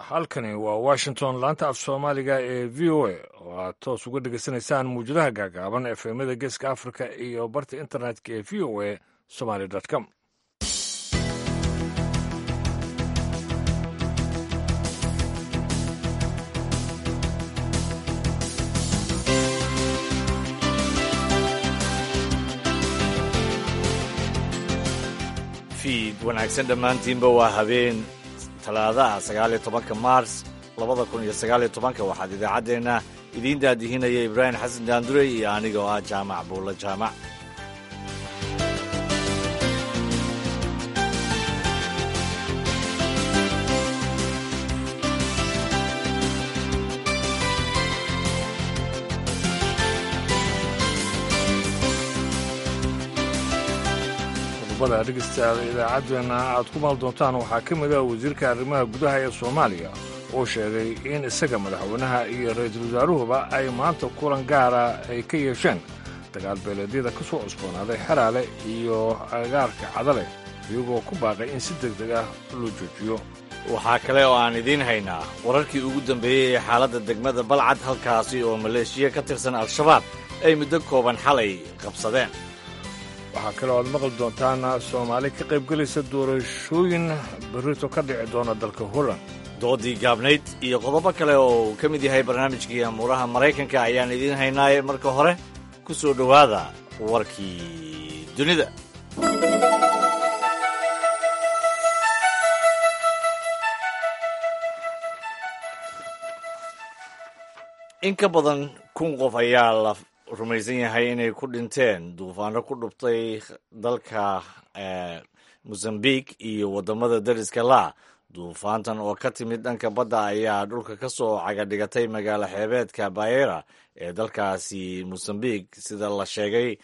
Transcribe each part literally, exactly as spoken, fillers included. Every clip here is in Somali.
Halkani waa Washington, laanta af Soomaaliga ee V O A, oo aad toos uga dhegaysanaysaan muwjadaha gaagaaban, F M-yada Geeska Africa iyo barta internetka ee V O A Somali com. Fiid wanaagsan dhammaantiinba. Waa habeen Talaadaha, sagaaliyo tobanka Maars labada kun iyo sagaaliyo tobanka. Waxaad idaacaddeenna idiin daadihinaya Ibraahim Xasan Daandurey iyo aniga oo ah Jaamac Buulla Jaamac. Qodobada, dhegeystayaal, idaacaddeenna aad ku maal doontaan waxaa ka mid ah wasiirka arrimaha gudaha ee Soomaaliya oo sheegay in isaga, madaxweynaha iyo ra-iisul wasaaruhuba ay maanta kulan gaara ay ka yeesheen dagaal beeleedyada ka soo cusboonaaday Xeraale iyo agaarka Cadale, iyagoo ku baaqay in si deg deg ah loo joojiyo. Waxaa kale oo aan idiin haynaa wararkii ugu dambeeyey ee xaaladda degmada Balcad, halkaasi oo maleeshiya ka tirsan Al-Shabaab ay muddo kooban xalay qabsadeen. Waxaa kaloo aad maqli doontaan Soomaali ka qaybgelaysa doorashooyin berrito ka dhici doona dalka Holland. Doodii gaabnayd iyo qodobo kale oo uu ka mid yahay barnaamijkii amuuraha Maraykanka ayaan idiin haynaaye. Marka hore ku soo dhowaada warkii dunida. In ka badan kun qof ayaa la rumaysan yahay inay ku dhinteen duufaano ku dhuftay dalka Mozambique iyo waddamada dariska laa. Duufaantan oo ka timid dhanka badda ayaa dhulka ka soo cagadhigatay magaalo xeebeedka Bayera ee dalkaasi Mozambique. Sida la sheegay,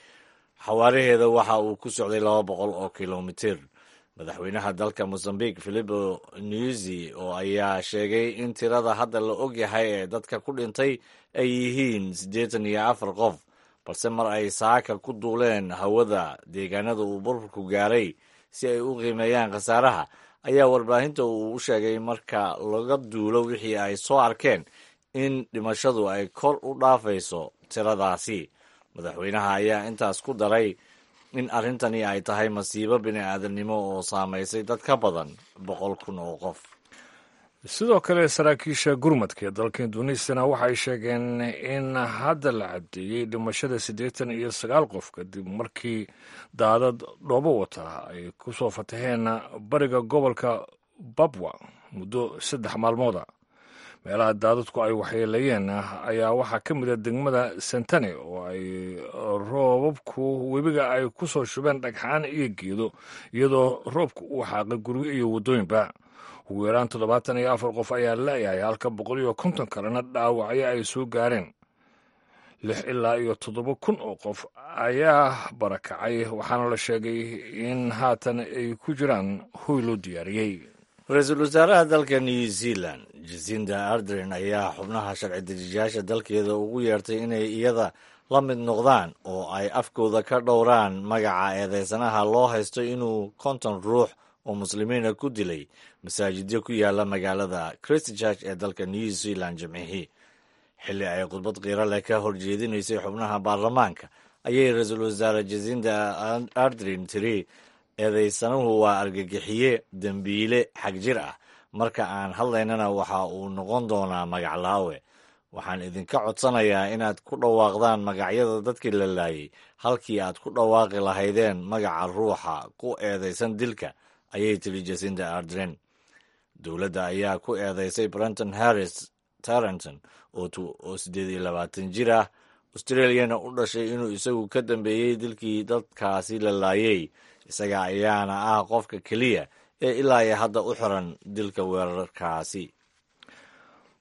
xawaaraheeda waxa uu ku socday laba boqol oo kilomitir. Madaxweynaha dalka Mozambique, Filipo Nyusi, oo ayaa sheegay in tirada hadda la ogyahay ee dadka ku dhintay ay yihiin siddeetan iyo afar qof, balse mar ay saaka ku duuleen hawada deegaanada uu burburku gaaray si ay u qiimeeyaan khasaaraha, ayaa warbaahinta uu u sheegay marka laga duulo wixii ay soo arkeen in dhimashadu ay kor u dhaafayso tiradaasi. Madaxweynaha ayaa intaas ku daray in arrintani ay tahay masiibo bini-aadamnimo oo saamaysay dad ka badan boqol kun oo qof. Sidoo kale, saraakiisha gurmadka ee dalka Induneisiyana waxay sheegeen in hadda la caddeeyey dhimashada siddeetan iyo sagaal qof, kadib markii daadad dhoobo wata ay ku soo fataheen bariga gobolka Babwa muddo saddex maalmooda. Meelaha daadadku ay waxyeeleeyeen ayaa waxaa ka mid a degmada Sentani, oo ay roobabku webiga ay ku soo shubeen dhagxaan iyo geedo, iyadoo roobku uu xaaqay guryo iyo waddooyinba. Ugu yaraan toddobaatan iyo afar qof ayaa la'yahay, halka boqol iyo konton kalena dhaawacyo ay soo gaareen. Lix ilaa iyo toddoba kun oo qof ayaa barakacay, waxaana la sheegay in haatan ay ku jiraan hoy loo diyaariyey. Ra-iisul wasaaraha dalka New Zealand, Jacinda Ardern, ayaa xubnaha sharci dejiyaasha dalkeeda ugu yeertay inay iyada la mid noqdaan oo ay afkooda ka dhowraan magaca eedeysanaha loo haysto inuu konton ruux oo muslimiina ku dilay masaajidyo ku yaala magaalada Christchurch ee dalka New Zealand Jimcihii. Xilli ay khudbad qiiro leh ka horjeedinaysay xubnaha baarlamaanka ayay ra-iisul wasaare Jacinda Ardern tiri: "Eedeysanuhu waa argagixiye, dembiile xagjir ah. Marka aan hadlaynana waxa uu noqon doonaa magaclaawe. Waxaan idinka codsanayaa inaad ku dhawaaqdaan magacyada dadkii la laayay halkii aad ku dhawaaqi lahaydeen magaca ruuxa ku eedeysan dilka," ayay tiri Jacinda Ardern. Dowladda ayaa ku eedeysay Brenton Harris Tarrant, oo siddeed iyo labaatan jir ah, Australiana u dhashay, inuu isagu ka dambeeyey dilkii dadkaasi la laayay. Isaga ayaana ah qofka keliya ee ilaa iyo hadda u xiran dilka weerarkaasi.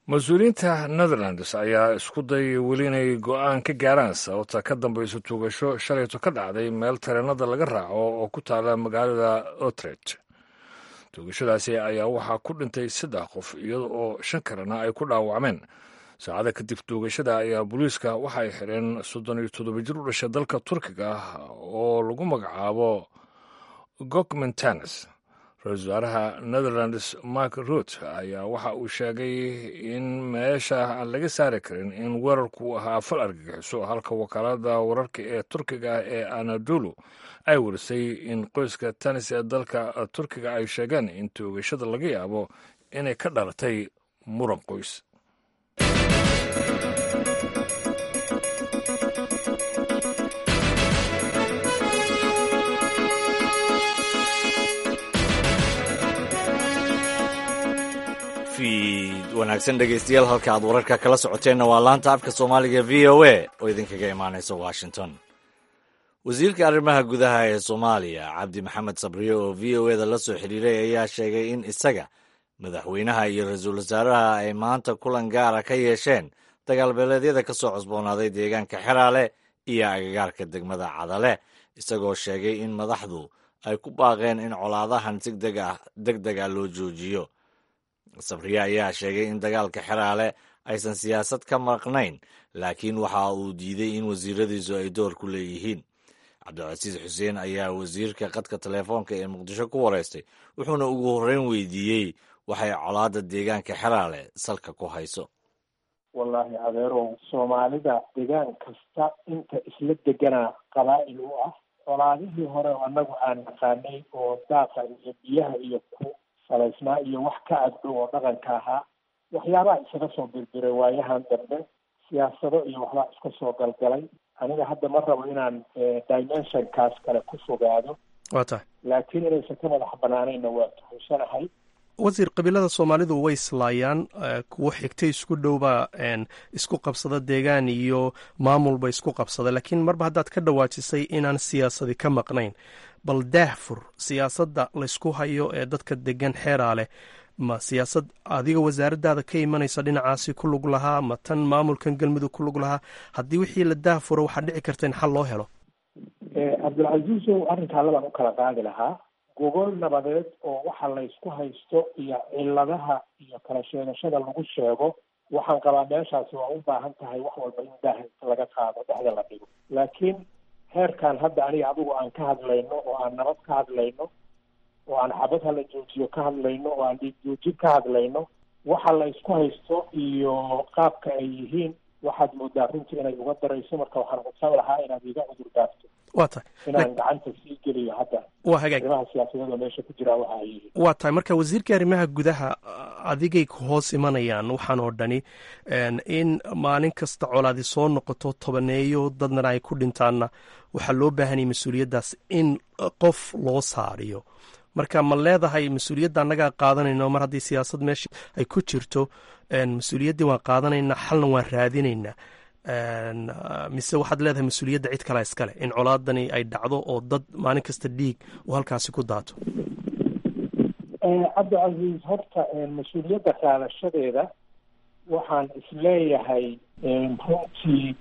Mas-uuliyiinta Netherlands ayaa isku dayay weli inay go-aan ka gaaraan sababta ka dambaysa tuugasho shalayto ka dhacday meel tareenada laga raaco oo ku taala magaalada Utrecht. Tuugashadaasi ayaa waxaa ku dhintay saddex qof, iyada oo shan kalena ay ku dhaawacmeen. Saacada kadib tuugashada ayaa booliiska waxay xireen soddon iyo toddoba jir u dhashay dalka Turkiga oo lagu magacaabo Gokmen Tanis. Ra-iisul wasaaraha Netherlands Mark Rutte ayaa waxa uu sheegay in meesha aan laga saari karin in weerarku ahaa fal argagixiso, halka wakaalada wararka ee Turkiga ah ee Anadolu ay warisay in qoyska Tanis ee dalka Turkiga ay sheegeen in toogashada laga yaabo inay ka dhalatay muran qoys. Wanaagsan dhegeystayaal, halka aad wararka kala socoteenna waa laanta afka Soomaaliga V O A oo idinkaga imaanaysa Washington. Wasiirka arrimaha gudaha ee Soomaaliya Cabdi Maxamed Sabriye oo V O eda la soo xiriiray ayaa sheegay in isaga, madaxweynaha iyo ra-iisul wasaaraha ay maanta kulan gaara ka yeesheen dagaalbeeleedyada ka soo cusboonaaday deegaanka Xeraale iyo agagaarka degmada Cadale, isagoo sheegay in madaxdu ay ku baaqeen in colaadahan si deg deg ah loo joojiyo. Sabriye ayaa sheegay in dagaalka Xeraale aysan siyaasad ka maqnayn, laakiin waxa uu diiday in wasiiradiisu ay door ku leeyihiin. Cabdicasiis Xuseen ayaa wasiirka khadka telefoonka ee Muqdisho ku wareystay, wuxuuna ugu horreyn weydiiyey waxay colaadda deegaanka Xeraale salka ku hayso. Wallaahi adeerow, Soomaalida deegaan kasta inta isla deganaa qabaa'il u ah. Colaadihii hore oo annagu aan naqaanay oo daaqa iyo biyaha iyo ku salaysnaa iyo wax ka agdhow oo dhaqanka ahaa, waxyaabaha isaga soo birbiray waayahan dambe, siyaasado iyo waxbaa iska soo galgalay. Aniga hadda ma rabo inaan dimensionkaas kale ku fogaado. Waa tahay. Laakiin inaysan ka madax banaanayna waa tuhunsanahay. Wasiir, qabiilada Soomaalidu way islaayaan, kuwo xigtay isku dhowbaa isku qabsada deegaan iyo maamulba isku qabsada, laakiin marba haddaad ka dhawaajisay inaan siyaasadi ka maqnayn, bal daahfur siyaasadda laysku hayo ee dadka degan Xeraale. Ma siyaasad adiga wasaaraddaada ka imanaysa dhinacaasi ku lug lahaa, ma tan maamulkan Galmudug ku lug lahaa? Haddii wixii la daahfuro waxaa dhici karta in xal loo helo. Cabdilcasiisow, arrinkaa labaan u kala qaadi lahaa. Gogol nabadeed oo waxa laysku haysto iyo ciladaha iyo kala sheegashada lagu sheego, waxaan qabaa meeshaasi waa u baahan tahay wax walba in daaha laga qaado, dhexda la dhigo. Laakiin heerkan hadda aniga adigu aan ka hadlayno oo aan nabad ka hadlayno oo aan xabad hala joojiyo ka hadlayno oo aan dhiig joojin ka hadlayno, waxa la isku haysto iyo qaabka ay yihiin waxaad moodaa runtii inay uga darayso. Marka waxaan codsan lahaa inaad iga cudur daafto Waa tahay. inaan gacanta sii geliyo hadda Waa hagaag. arrimaha siyaasadeed oo meesha ku jiraa waxa ay yihiin. Waa tahay. Marka wasiirka arrimaha gudaha, adigay ku hoos imanayaan waxaan oo dhani. In maalin kasta colaadi soo noqoto, tobaneeyo dadnana ay ku dhintaanna, waxaa loo baahanayay mas-uuliyaddaas in qof loo saariyo. Marka ma leedahay mas-uuliyadda annagaa qaadanayno, mar haddii siyaasad meesha ay ku jirto mas-uuliyaddii waan qaadanaynaa, xalna waan raadinaynaa, mise waxaad leedahay mas-uuliyadda cid kalea iskale in colaadani ay dhacdo oo dad maalin kasta dhiig uu halkaasi ku daato? Cabdicasiis, horta mas-uuliyadda qaadashadeeda waxaan isleeyahay runtii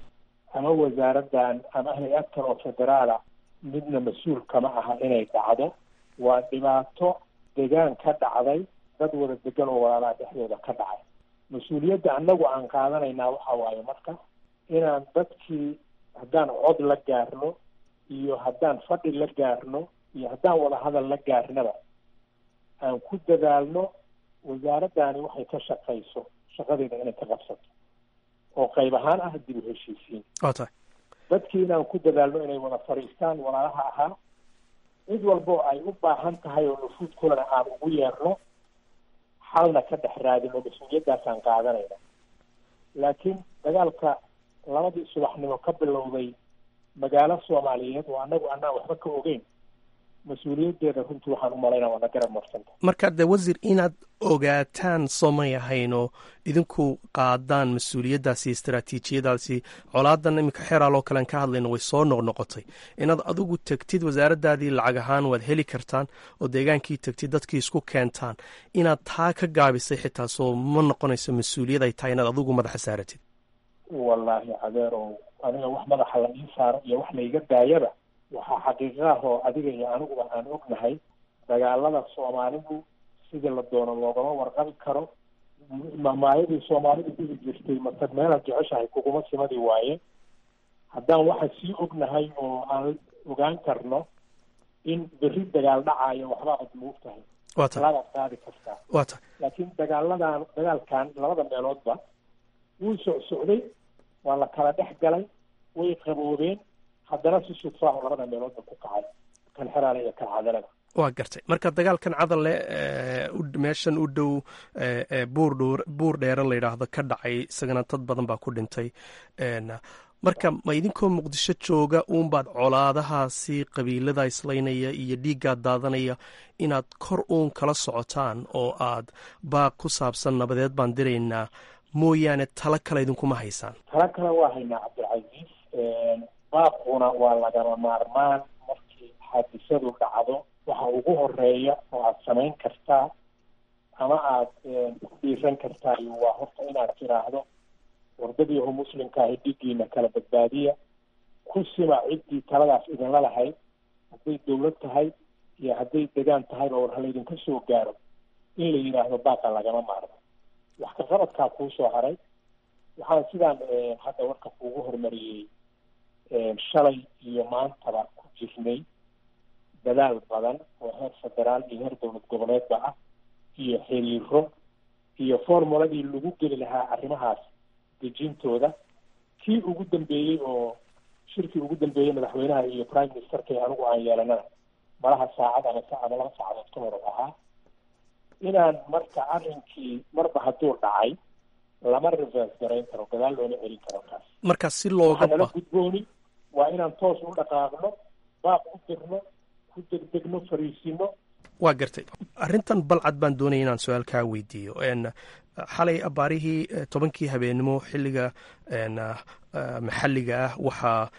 ama wasaaraddan ama hay-ad kale oo federaala midna mas-uul kama aha inay dhacdo. Waa dhibaato degaan ka dhacday, dad wada degan oo walaalaha dhexdooda ka dhacay. Mas-uuliyadda annagu aan qaadanaynaa waxa waaye marka inaan dadkii haddaan cod la gaarno iyo haddaan fadhi la gaarno iyo haddaan wada hadal la gaarnaba aan ku dadaalno wasaaraddani waxay ka shaqayso shaqadeeda inay ka qabsato oo qayb ahaan ah dib u heshiisiin. Waa tahay. Dadkii inaan ku dadaalno inay wada fadhiistaan walaalaha ahaa, cid walbo ay u baahan tahay oo nufuudkoodana aan ugu yeerno, xalna ka dhex raadino. Mas-uuliyaddaasaan qaadanayna. Laakiin dagaalka labadii subaxnimo ka bilowday magaalo Soomaaliyeed oo annagu annaan waxba ka ogeyn, mas-uuliyaddeeda runtii waxaan u malaynaa waana garab marsanta. Marka dee wasiir, inaad ogaataan soomay ahaynoo idinku qaadaan mas-uuliyaddaasi, istaraatiijiyadaasi? Colaadan iminka Xeraaloo kalean ka hadlayno way soo noqnoqotay. Inaad adigu tegtid, wasaaraddaadii lacag ahaan waad heli kartaan, oo deegaankii tegtid, dadkii isku keentaan, inaad taa ka gaabisay xitaa soo ma noqonayso mas-uuliyad ay tahay inaad adigu madaxa saaratid? Wallaahi adeerow, aniga wax madaxa la ii saaro iyo wax laiga daayaba, waxaa xaqiiqa ah oo adiga iyo aniguba aan ognahay, dagaalada Soomaalidu sidii la doono loogama warqabi karo. Maamaayadii Soomaalidu dhihi jirtay "Matag meelaad jeceshahay kuguma simadii" waaye. Haddaan waxa sii ognahay oo aan ogaan karno in berri dagaal dhacayo, waxba ad moog tahay. Talaabaad qaadi kartaa. Waa tahay. Laakiin dagaaladan, dagaalkan labada meeloodba wuu socsocday, waa la kala dhex galay, way qaboobeen, haddana si sudfaahu labada meeloodba ku kacay, kan Xeraale iyo kan Cadalada. Waa gartay. Marka dagaalkan Cadalle, meeshan u dhow buur Buur Dheere la yidhaahdo ka dhacay, isagana dad badan baa ku dhintay. Marka ma idinkoo Muqdisho jooga uunbaad colaadahaasi qabiilada islaynaya iyo dhiiggaa daadanaya inaad kor uun kala socotaan oo aad baaq ku saabsan nabadeed baan diraynaa mooyaane, talo kale idinkuma haysaan? Talo kale waa haynaa, Cabdilcasiis. Baaquna waa lagama maarmaan. Markii xaadisadu dhacdo, waxa ugu horeeya oo aad samayn kartaa ama aad ku dhiiran kartaa waa horta inaad tiraahdo: "Wardadiihu muslimka ahi, dhiiggiina kala badbaadiya." Ku sima ciddii taladaas idinla lahayd, hadday dawlad tahay iyo hadday degaan tahayba, war halaydinka soo gaaro in la yidhaahdo baaqa lagama maarmo. Wax ka qabadkaa kuu soo haray. Waxaan sidaan hadda warka kuugu horumariyey, shalay iyo maantaba ku jirnay dadaal badan oo heer federaal iyo heer dowlad goboleedba ah iyo xiriiro iyo formuladii lagu geli lahaa arrimahaas dejintooda. Kii ugu dambeeyey oo shirkii ugu dambeeyey madaxweynaha iyo prime ministerka anigu aan yeelanana malaha saacad ama ama laba saacadood ka hor ahaa. Inaan marka arrinkii marba hadduu dhacay lama reverse garayn karo, gadaal looma celin karo kaas. Marka si looga Nala gudbooni waa inaan toos u dhaqaaqno, baaq u dirno, ku degdegno, fariisino. Waa gartay. Arrintan Balcad baan doonaya inaan su-aal kaa weydiiyo. Xalay abaarihii tobankii habeenimo xilliga maxalliga ah waxaa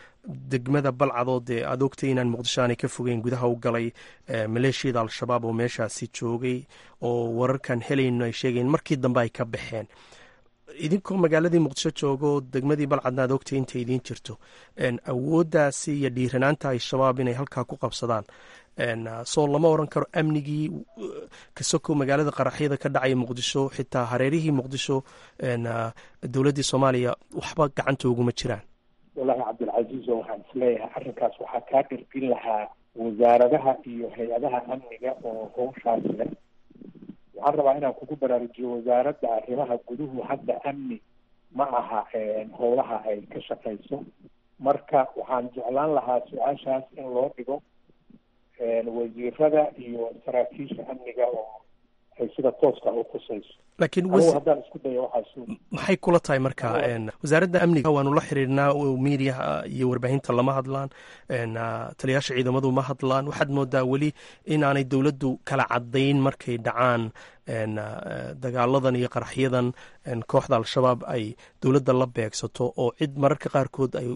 degmada Balcadoo dee aad ogtay inaan Muqdisho aanay ka fogeyn gudaha u galay maleeshiyada Al-Shabaab oo meeshaasi joogay, oo wararkan helayno ay sheegayen markii dambe ay ka baxeen. Idinkoo magaaladii Muqdisho joogo, degmadii Balcadna aad ogtay inta idiin jirto, awooddaasi iyo dhiiranaanta Al-Shabaab inay halkaa ku qabsadaan, soo lama oran karo amnigii kasoko magaalada qaraxyada ka dhacaya Muqdisho, xitaa hareerihii Muqdisho, dowladdii Soomaaliya waxba gacanta uguma jiraan? Wallahi Cabdilcasiis, oo waxaan isleeyahay arrinkaas waxaa kaa dhergin lahaa wasaaradaha iyo hay-adaha amniga oo hawshaas leh. Waxaan rabaa inaan kugu baraarujiyo, wasaaradda arrimaha guduhu hadda amni ma aha howlaha ay ka shaqayso. Marka waxaan jeclaan lahaa su-aashaas in loo dhigo wasiirada iyo saraakiisha amniga oo ay sida tooska u khusayso. Laakiin anigu haddaan isku dayo waxaas Maxay kula tahay marka wasaaradda amniga? Waanu la xiriirnaa, miidiyaha iyo warbaahinta lama hadlaan, taliyaasha ciidamadu ma hadlaan. Waxaad moodaa weli inaanay dowladdu kala caddayn markay dhacaan dagaaladan iyo qaraxyadan kooxda Al-Shabaab ay dowladda la beegsato, oo cid mararka qaarkood ay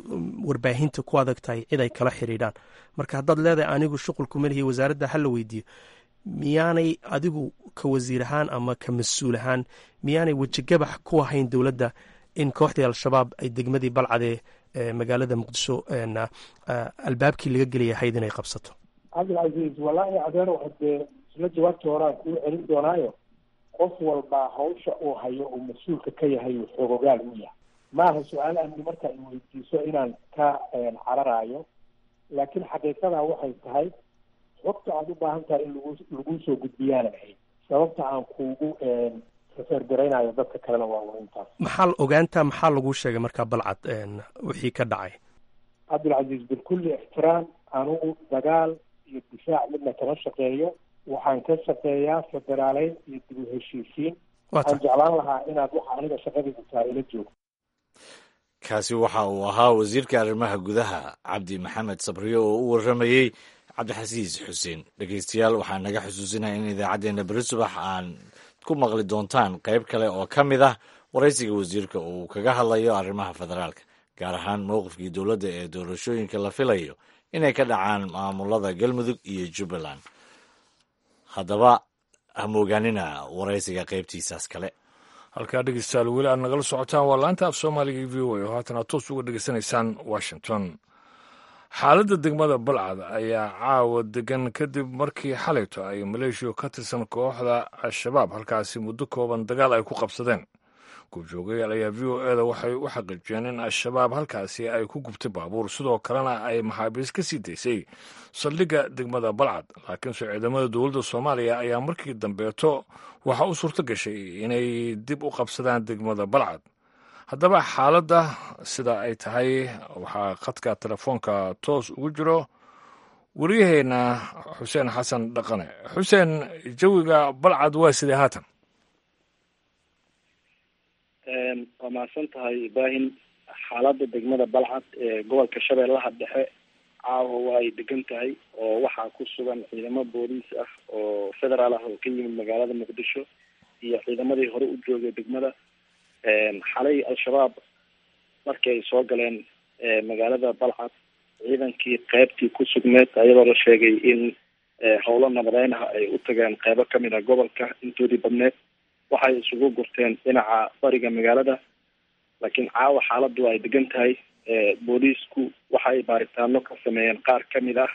warbaahinta ku adag tahay cid ay kala xiriidhaan. Marka haddaad leedahay anigu shuqulku malihi, wasaaradda ha la weydiiyo, miyaanay adigu ka wasiir ahaan ama ka mas-uul ahaan miyaanay wejigabax ku ahayn dowladda in kooxdii Al-Shabaab ay degmadii Balcadee magaalada Muqdisho albaabkii laga gelaya ahayd inay qabsato? Cabdilcasiis, wallaahi adeerow, haddee isla jawaabtii horaan kuu celin doonaayo. Qof walbaa hawsha uu hayo uu mas-uulka ka yahay uu xoogogaal u yahay. Maaha su-aal amni marka ay weydiiso inaan ka cararaayo, laakiin xaqiiqadaa waxay tahay xogta aada u baahan tahay in lagu laguu soo gudbiyaanan ahayn. Sababta aan kuugu refer garaynayo dadka kalena waa un intaas. Maxaa ogaantaa, maxaa laguu sheegay markaa Balcad wixii ka dhacay? Cabdilcasiis, bilkulli ixtiraam, anugu dagaal iyo difaac midna kama shaqeeyo. Waxaan ka shaqeeyaa federaaleyn iyo dib u heshiisiin. Waxaan jeclaan lahaa inaad waxa aniga shaqadaydu tahay ila joogto. Kaasi waxa uu ahaa wasiirka arrimaha gudaha Cabdi Maxamed Sabriyo oo u warramayey Cabdixasiis Xuseen. Dhegeystayaal, waxaa naga xusuusinaya in idaacaddeenna beri subax aan ku maqli doontaan qayb kale oo ka mid ah waraysiga wasiirka uu kaga hadlayo arrimaha federaalka, gaar ahaan mowqifkii dowladda ee doorashooyinka la filayo inay ka dhacaan maamulada Galmudug iyo Jubbaland. Haddaba ha moogaanina waraysiga qaybtiisaas kale. Halkaa dhegeystayaal weli aad nagala socotaan waa laanta af Soomaaliga e V O A oo haatan aad toos uga dhegeysanaysaan Washington. Xaaladda degmada Balcad ayaa caawa degan kadib markii xalayto ay maleeshiya ka tirsan kooxda Al-Shabaab halkaasi muddo kooban dagaal ay ku qabsadeen. Goobjoogayaal ayaa V O E da waxay u xaqiijiyeen in Al-Shabaab halkaasi ay ku gubtay baabuur, sidoo kalena ay maxaabiis ka sii daysay saldhigga degmada Balcad. Laakiinse ciidamada dowladda Soomaaliya ayaa markii dambeeto waxaa u suurto gashay inay dib u qabsadaan degmada Balcad. Haddaba xaaladda sida ay tahay waxaa khadka telefoonka toos ugu jiro wariyaheenna Xuseen Xasan Dhaqane. Xuseen, jawiga Balcad waa sidee haatan? Waa mahadsan tahay Ibraahim. Xaaladda degmada Balcad ee gobolka Shabeellaha Dhexe caawa waa ay degan tahay, oo waxaa ku sugan ciidamo booliis ah oo federaal ah oo ka yimid magaalada Muqdisho iyo ciidamadii hore u joogay degmada. Xalay Al-Shabaab markii ay soo galeen magaalada Balcad, ciidankii qeybtii ku sugneed, ayadoo la sheegay in howlo nabadeyn ah ay u tageen qeybo kamid ah gobolka intoodii badneed, waxay isugu gurteen dhinaca bariga magaalada. Laakiin caawa xaaladdu ay degan tahay. Booliisku waxay baaritaano ka sameeyeen qaar kamid ah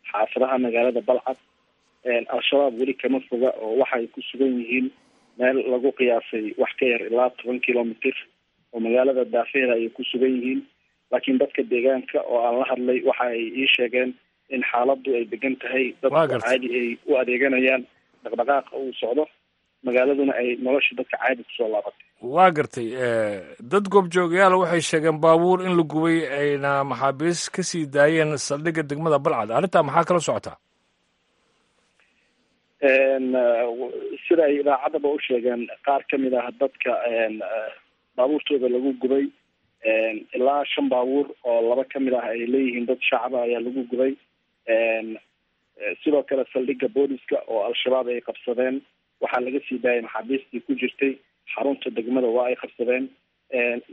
xaafadaha magaalada Balcad. Al-Shabaab weli kama foga oo waxay ku sugan yihiin meel lagu qiyaasay wax ka yar ilaa toban kilomitr oo magaalada daafeeda ayay ku sugan yihiin. Laakiin dadka deegaanka oo aan la hadlay waxa ay ii sheegeen in xaaladdu ay degan tahay, dadka caadi ay u adeeganayaan, dhaqdhaqaaqa uu socdo, magaaladuna ay nolosha dadka caadi kusoo laabatay. Waa gartay. Dad goobjoogayaal waxay sheegeen baabuur in la gubay ayna maxaabiis ka sii daayeen saldhigga degmada Balcad. Arrintaa maxaa kala socotaa? Sida ay idaacaddaba u sheegeen qaar kamid ah dadka baabuurtooda lagu gubay, ilaa shan baabuur oo laba kamid ah ay leeyihiin dad shacaba ayaa lagu gubay. Sidoo kale saldhigga booliska oo Al-Shabaab ay qabsadeen waxaa laga sii daayay maxaabiistii ku jirtay xarunta degmada, waa ay qabsadeen.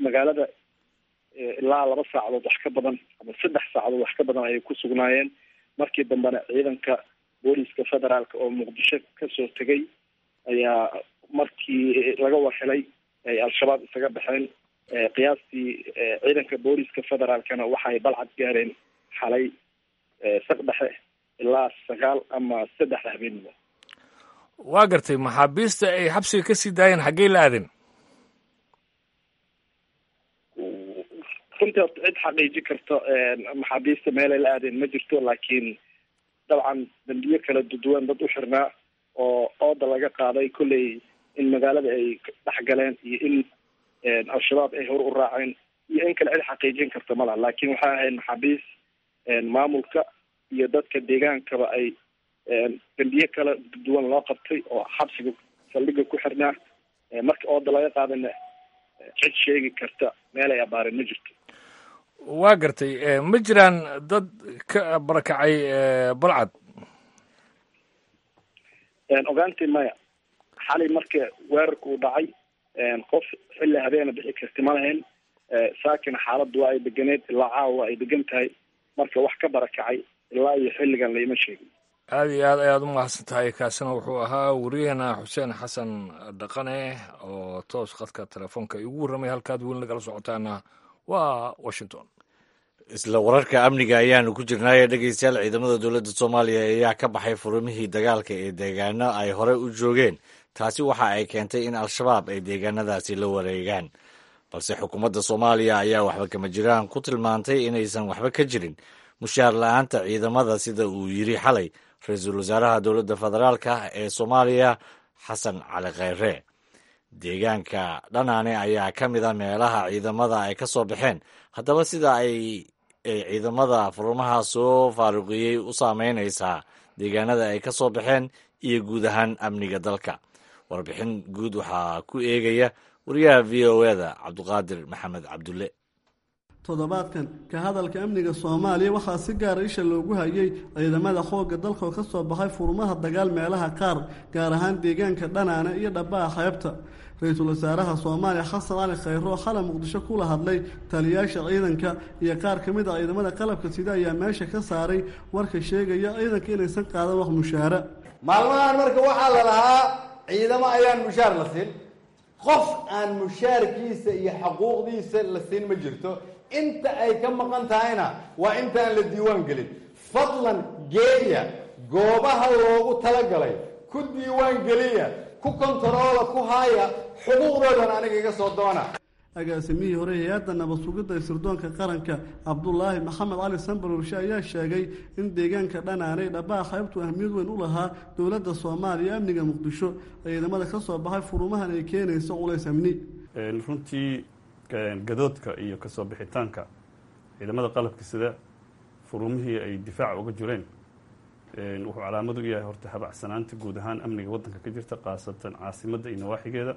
Magaalada ilaa laba saacadood wax ka badan ama saddex saacadood wax ka badan ayay ku sugnaayeen. Markii dambena ciidanka booliska federaalka oo Muqdisho kasoo tegay ayaa markii laga warhelay ay Al-Shabaab isaga baxeen. Qiyaastii ciidanka booliska federaalkana waxay Balcad gaareen xalay saqdhexe ilaa sagaal ama saddexda habeenimo. Waa gartay. Maxaabiista ay xabsiga kasii daayeen xaggey la aadeen? Runtii horta cid xaqiiji karto maxaabiista meelay la aadeen ma jirto, laakiin dabcan dambiyo kala duduwan dad u xirnaa oo ooda laga qaaday kolley in magaalada ay dhex galeen iyo in Al-Shabaab ay hor u raaceen iyo in kale cid xaqiijin karta ma laha. Laakiin waxay ahayd maxaabiis maamulka iyo dadka deegaankaba ay dambiye kala duwan loo qabtay oo xabsiga saldhigga ku xirnaa. Marka ooda laga qaadana cid sheegi karta meel ay abaareen ma jirto. Waa gartay. Ma jiraan dad ka barakacay Balcad? Ogaantii maya. Xalay marka weerarka uu dhacay qof xilli habeena bixi karti ma lahayn. Saakina xaaladdu waa ay deganeed, ilaa caawa waa ay degan tahay. Marka wax ka barakacay ilaa iyo xilligan laima sheegin. Aada iyo aad ayaad u mahadsan tahay. Kaasina wuxuu ahaa wariyaheena Xuseen Xasan Dhaqane oo toos khadka telefoonka igu warramay. Halkaad weli nagala socotaana waa Washington. Isla wararka amniga ayaanu ku jirnaaye dhegeystayaal, ciidamada dowladda Soomaaliya ayaa ka baxay furumihii dagaalka ee deegaano ay horey u joogeen. Taasi waxa ay keentay in Al-Shabaab ay deegaanadaasi la wareegaan, balse xukuumadda Soomaaliya ayaa waxba kama jiraan ku tilmaantay inaysan waxba ka jirin mushaar la-aanta ciidamada, sida uu yiri xalay ra-iisul wasaaraha dowladda federaalka ee Soomaaliya Xasan Cali Kheyre. Deegaanka Dhanaane ayaa ka mid a meelaha ciidamada ay ka soo baxeen. Haddaba sida ay ciidamada furumaha soo faaruqiyey u saameynaysaa deegaanada ay ka soo baxeen iyo guud ahaan amniga dalka? Warbixin guud waxaa ku eegaya wariyaha V O E-da Cabduqaadir Maxamed Cabdulle. Toddobaadkan ka hadalka amniga Soomaaliya waxaa si gaara isha loogu hayay ciidamada xoogga dalka oo ka soo baxay furmaha dagaal meelaha qaar, gaar ahaan deegaanka Dhanaane iyo Dhabbaha xeebta. Ra-iisul wasaaraha Soomaaliya Xasan Cali Kheyre oo xalay Muqdisho kula hadlay taliyayaasha ciidanka iyo qaar ka mid a ciidamada qalabka sida ayaa meesha ka saaray warka sheegaya ciidanka inaysan qaadan wax mushaara. Maalmahan marka waxaa la lahaa ciidamo ayaan mushaar la siin, qof aan mushaarkiisa iyo xaquuqdiisa la siin ma jirto. Inta ay ka maqan tahayna waa intaan la diiwaan gelin. Fadlan geeya goobaha loogu talagalay, ku diiwaan geliya, ku kontaroola, ku haaya, Xuquuqdoodan aniga iga soo doona. Agaasimihii hore hay-adda nabad sugidda ee sirdoonka qaranka, Cabdulaahi Maxamed Cali Sambalolshe, ayaa sheegay in deegaanka Dhanaanay Dhabaa Xeebtu ahmiyad weyn u lahaa dowladda Soomaaliya, amniga Muqdisho. Ciidamada ka soo baxay furumahan ay keenayso culays amni. Runtii gadoodka iyo kasoo bixitaanka ciidamada qalabka sida furumihii ay difaaca uga jireen wuxuu calaamad u yahay horta habacsanaanta guud ahaan amniga waddanka ka jirta, khaasatan caasimadda iyo nawaaxigeeda.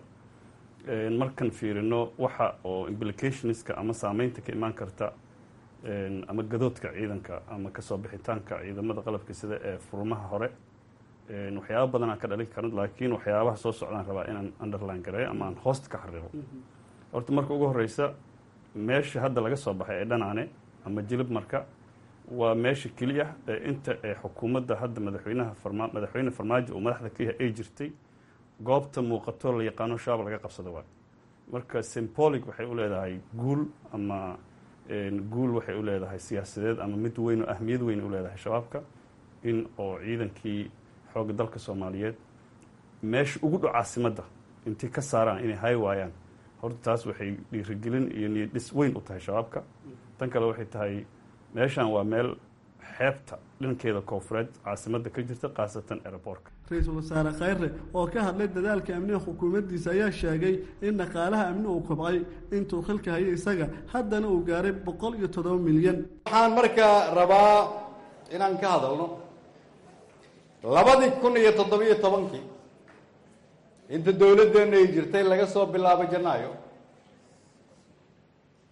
Markan fiirino waxa oo implicationska ama saameynta ka imaan karta ama gadoodka ciidanka ama kasoo bixitaanka ciidamada qalabka sida ee furumaha hore, waxyaaba badanaa ka dhalin karan, laakiin waxyaabaha soo socdaan rabaa inaan underline gareeyo ama aan hoosta ka xariiqo. Horta marka ugu horeysa, meesha hadda laga soo baxay ee Dhanaane ama Jilib marka waa meesha keliya ee inta ee xukuumadda hadda madaxweynaha farma madaxweyne Farmaajo uu madaxda ka yahay ay jirtay goobta muuqato la yaqaano Shabaab laga qabsado waay. Marka symbolic waxay u leedahay guul ama guul waxay u leedahay siyaasadeed ama mid weyn oo ahmiyad weyn u leedahay Shabaabka in oo ciidankii xoogga dalka Soomaaliyeed meesha ugu dhow caasimadda intay ka saaraan inay hay waayaan. Horta taas waxay dhiirigelin iyo niyad dhis weyn u tahay Shabaabka. Tan kale waxay tahay meeshan waa meel xeebta dhankeeda koonfureed caasimadda ka jirta, khaasatan airportka. Ra-iisul Wasaare Khayre oo ka hadlay dadaalka amniga xukuumaddiisa ayaa sheegay in dhaqaalaha amni uu kobcay intuu xilka hayay isaga, haddana uu gaaray boqol iyo toddoba milyan. Waxaan markaa rabaa inaan ka hadalno labadii kun iyo toddobiyo tobankii inta dowladdeenna ay jirtay, laga soo bilaabo Janaayo,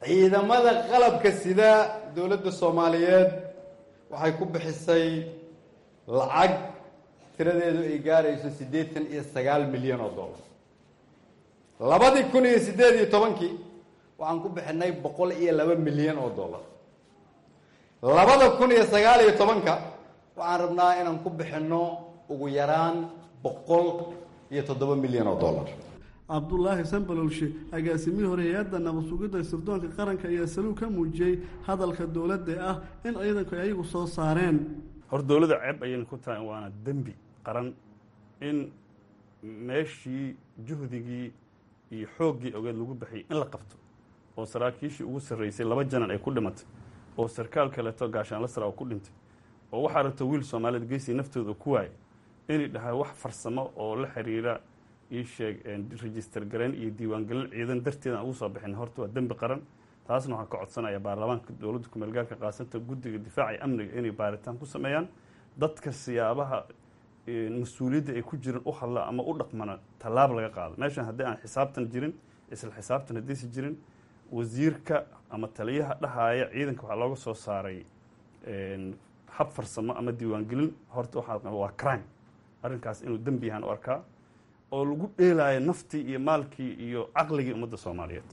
ciidamada qalabka sida dowladda Soomaaliyeed waxay ku bixisay lacag tiradeedu ay gaarayso siddeetan iyo sagaal milyan oo dollar. Labadii kun iyo siddeed iyo tobankii waxaan ku bixinay boqol iyo laba milyan oo dollar. Labada kun iyo sagaal iyo tobanka waxaan rabnaa inaan ku bixinno ugu yaraan boqol iyo toddoba milyan oo dollar. Cabdulaahi Sambalolshe, agaasimihii hore hay-adda nabad sugidda sirdoonka qaranka, ayaa saluug ka muujiyey hadalka dowladda ah in ciidanku ay ayagu soo saareen. Hor dowladda ceeb ayayna ku tahay, waana dembi qaran in meeshii juhdigii iyo xooggii ogeed lagu baxiyey in la qabto oo saraakiishii ugu sarreysay laba janan ay ku dhimatay oo sarkaal kaleeto gaashaanla sara oo ku dhintay oo waxaa rabta wiil Soomaaliyeed geesii naftooda ku waayay inay dhahay wax farsamo oo la xiriira ii sheeg register gareyn iyo diiwaangelin ciidan darteed aan ugu soo bixin, horta waa dembi qaran. Taasna waxaan ka codsanaya baarlamaanka dowladda kumeelgaarka, qaasanta guddiga difaaca iyo amniga, inay baaritaan ku sameeyaan dadka siyaabaha mas-uuliyadda ay ku jiran u hadla ama u dhaqmana tallaab laga qaado. Meeshan haddii aan xisaabtan jirin, isla xisaabtan haddaysa jirin, wasiirka ama taliyaha dhahaaya ciidanka waxaa looga soo saaray hab farsamo ama diiwaangelin, horta waxaa waa crime. Arrinkaas inuu dembi yahaan u arkaa oo lagu dheelaayo naftii iyo maalkii iyo caqligii ummadda Soomaaliyeed.